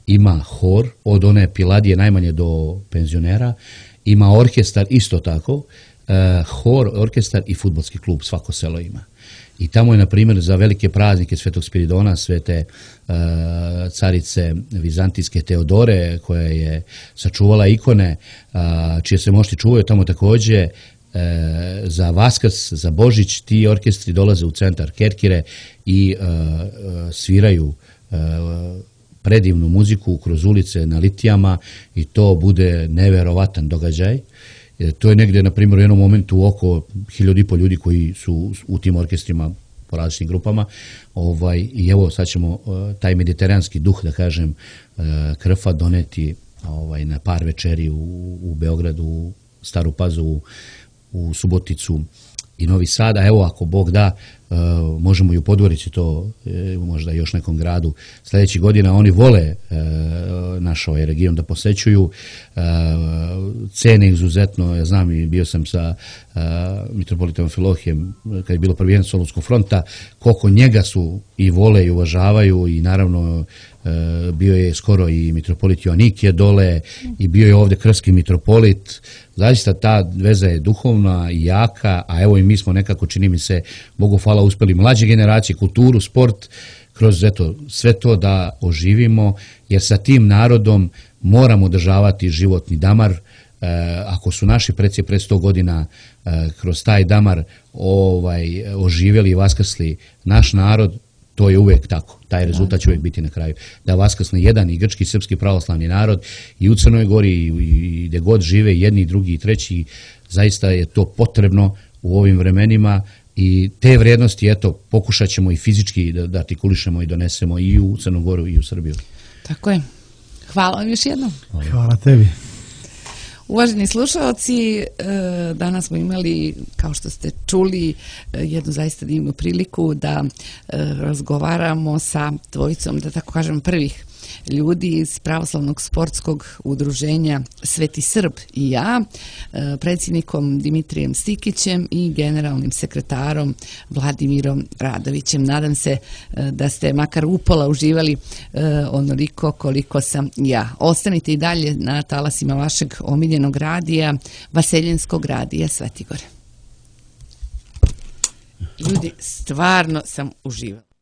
ima hor, od one Piladije najmanje do penzionera, ima orkestar isto tako, uh, hor, orkestar i fudbalski klub, svako selo ima. I tamo je, na primjer, za velike praznike Svetog Spiridona, svete uh, carice vizantijske Teodore, koja je sačuvala ikone, uh, čije se mošti čuvaju tamo također, uh, za Vaskrs, za Božić, ti orkestri dolaze u centar Kerkire i uh, uh, sviraju uh, predivnu muziku kroz ulice na litijama i to bude neverovatan događaj. To je negdje, na primjer, u jednom momentu oko hiljadu i pol ljudi koji su u tim orkestrima po različitim grupama. Ovaj, I evo, sad ćemo uh, taj mediteranski duh, da kažem, uh, Krfa doneti ovaj, na par večeri u, u Beogradu, u Staru Pazovu, u Suboticu i Novi Sad, a evo ako Bog da, uh, možemo i u Podgorici to, e, možda još nekom gradu sljedećih godina. Oni vole uh, naš ovaj region da posećuju, uh, cene izuzetno, ja znam i bio sam sa uh, mitropolitom Filohijem kad je bilo prvijenje Solunskog fronta, koliko njega su i vole i uvažavaju i naravno uh, bio je skoro i mitropolit Joanikije dole i bio je ovdje krfski mitropolit. Zaista ta veza je duhovna i jaka, a evo i mi smo nekako, čini mi se, Bogu hvala, uspjeli mlađe generacije, kulturu, sport, kroz eto, sve to da oživimo, jer sa tim narodom moramo održavati životni damar. E, ako su naši preci pred sto godina e, kroz taj damar ovaj, oživjeli i vaskrsli naš narod, to je uvijek tako. Taj rezultat će uvijek biti na kraju. Da vaskrsne jedan i grčki i srpski pravoslavni narod i u Crnoj Gori i, i gdje god žive jedni, i drugi i treći, zaista je to potrebno u ovim vremenima i te vrijednosti, eto, pokušat ćemo i fizički da, da artikulišemo i donesemo i u Crnu Goru i u Srbiju. Tako je. Hvala vam još jednom. Hvala, Hvala tebi. Uvaženi slušalci, danas smo imali, kao što ste čuli, jednu zaista divnu priliku da razgovaramo sa dvojicom, da tako kažem, prvih ljudi iz Pravoslavnog sportskog udruženja Sveti Srb i ja, predsjednikom Dimitrijem Stikićem i generalnim sekretarom Vladimirom Radovićem. Nadam se da ste makar upola uživali onoliko koliko sam ja. Ostanite i dalje na talasima vašeg omiljenog radija, Vaseljenskog radija Svetigore. Ljudi, stvarno sam uživala.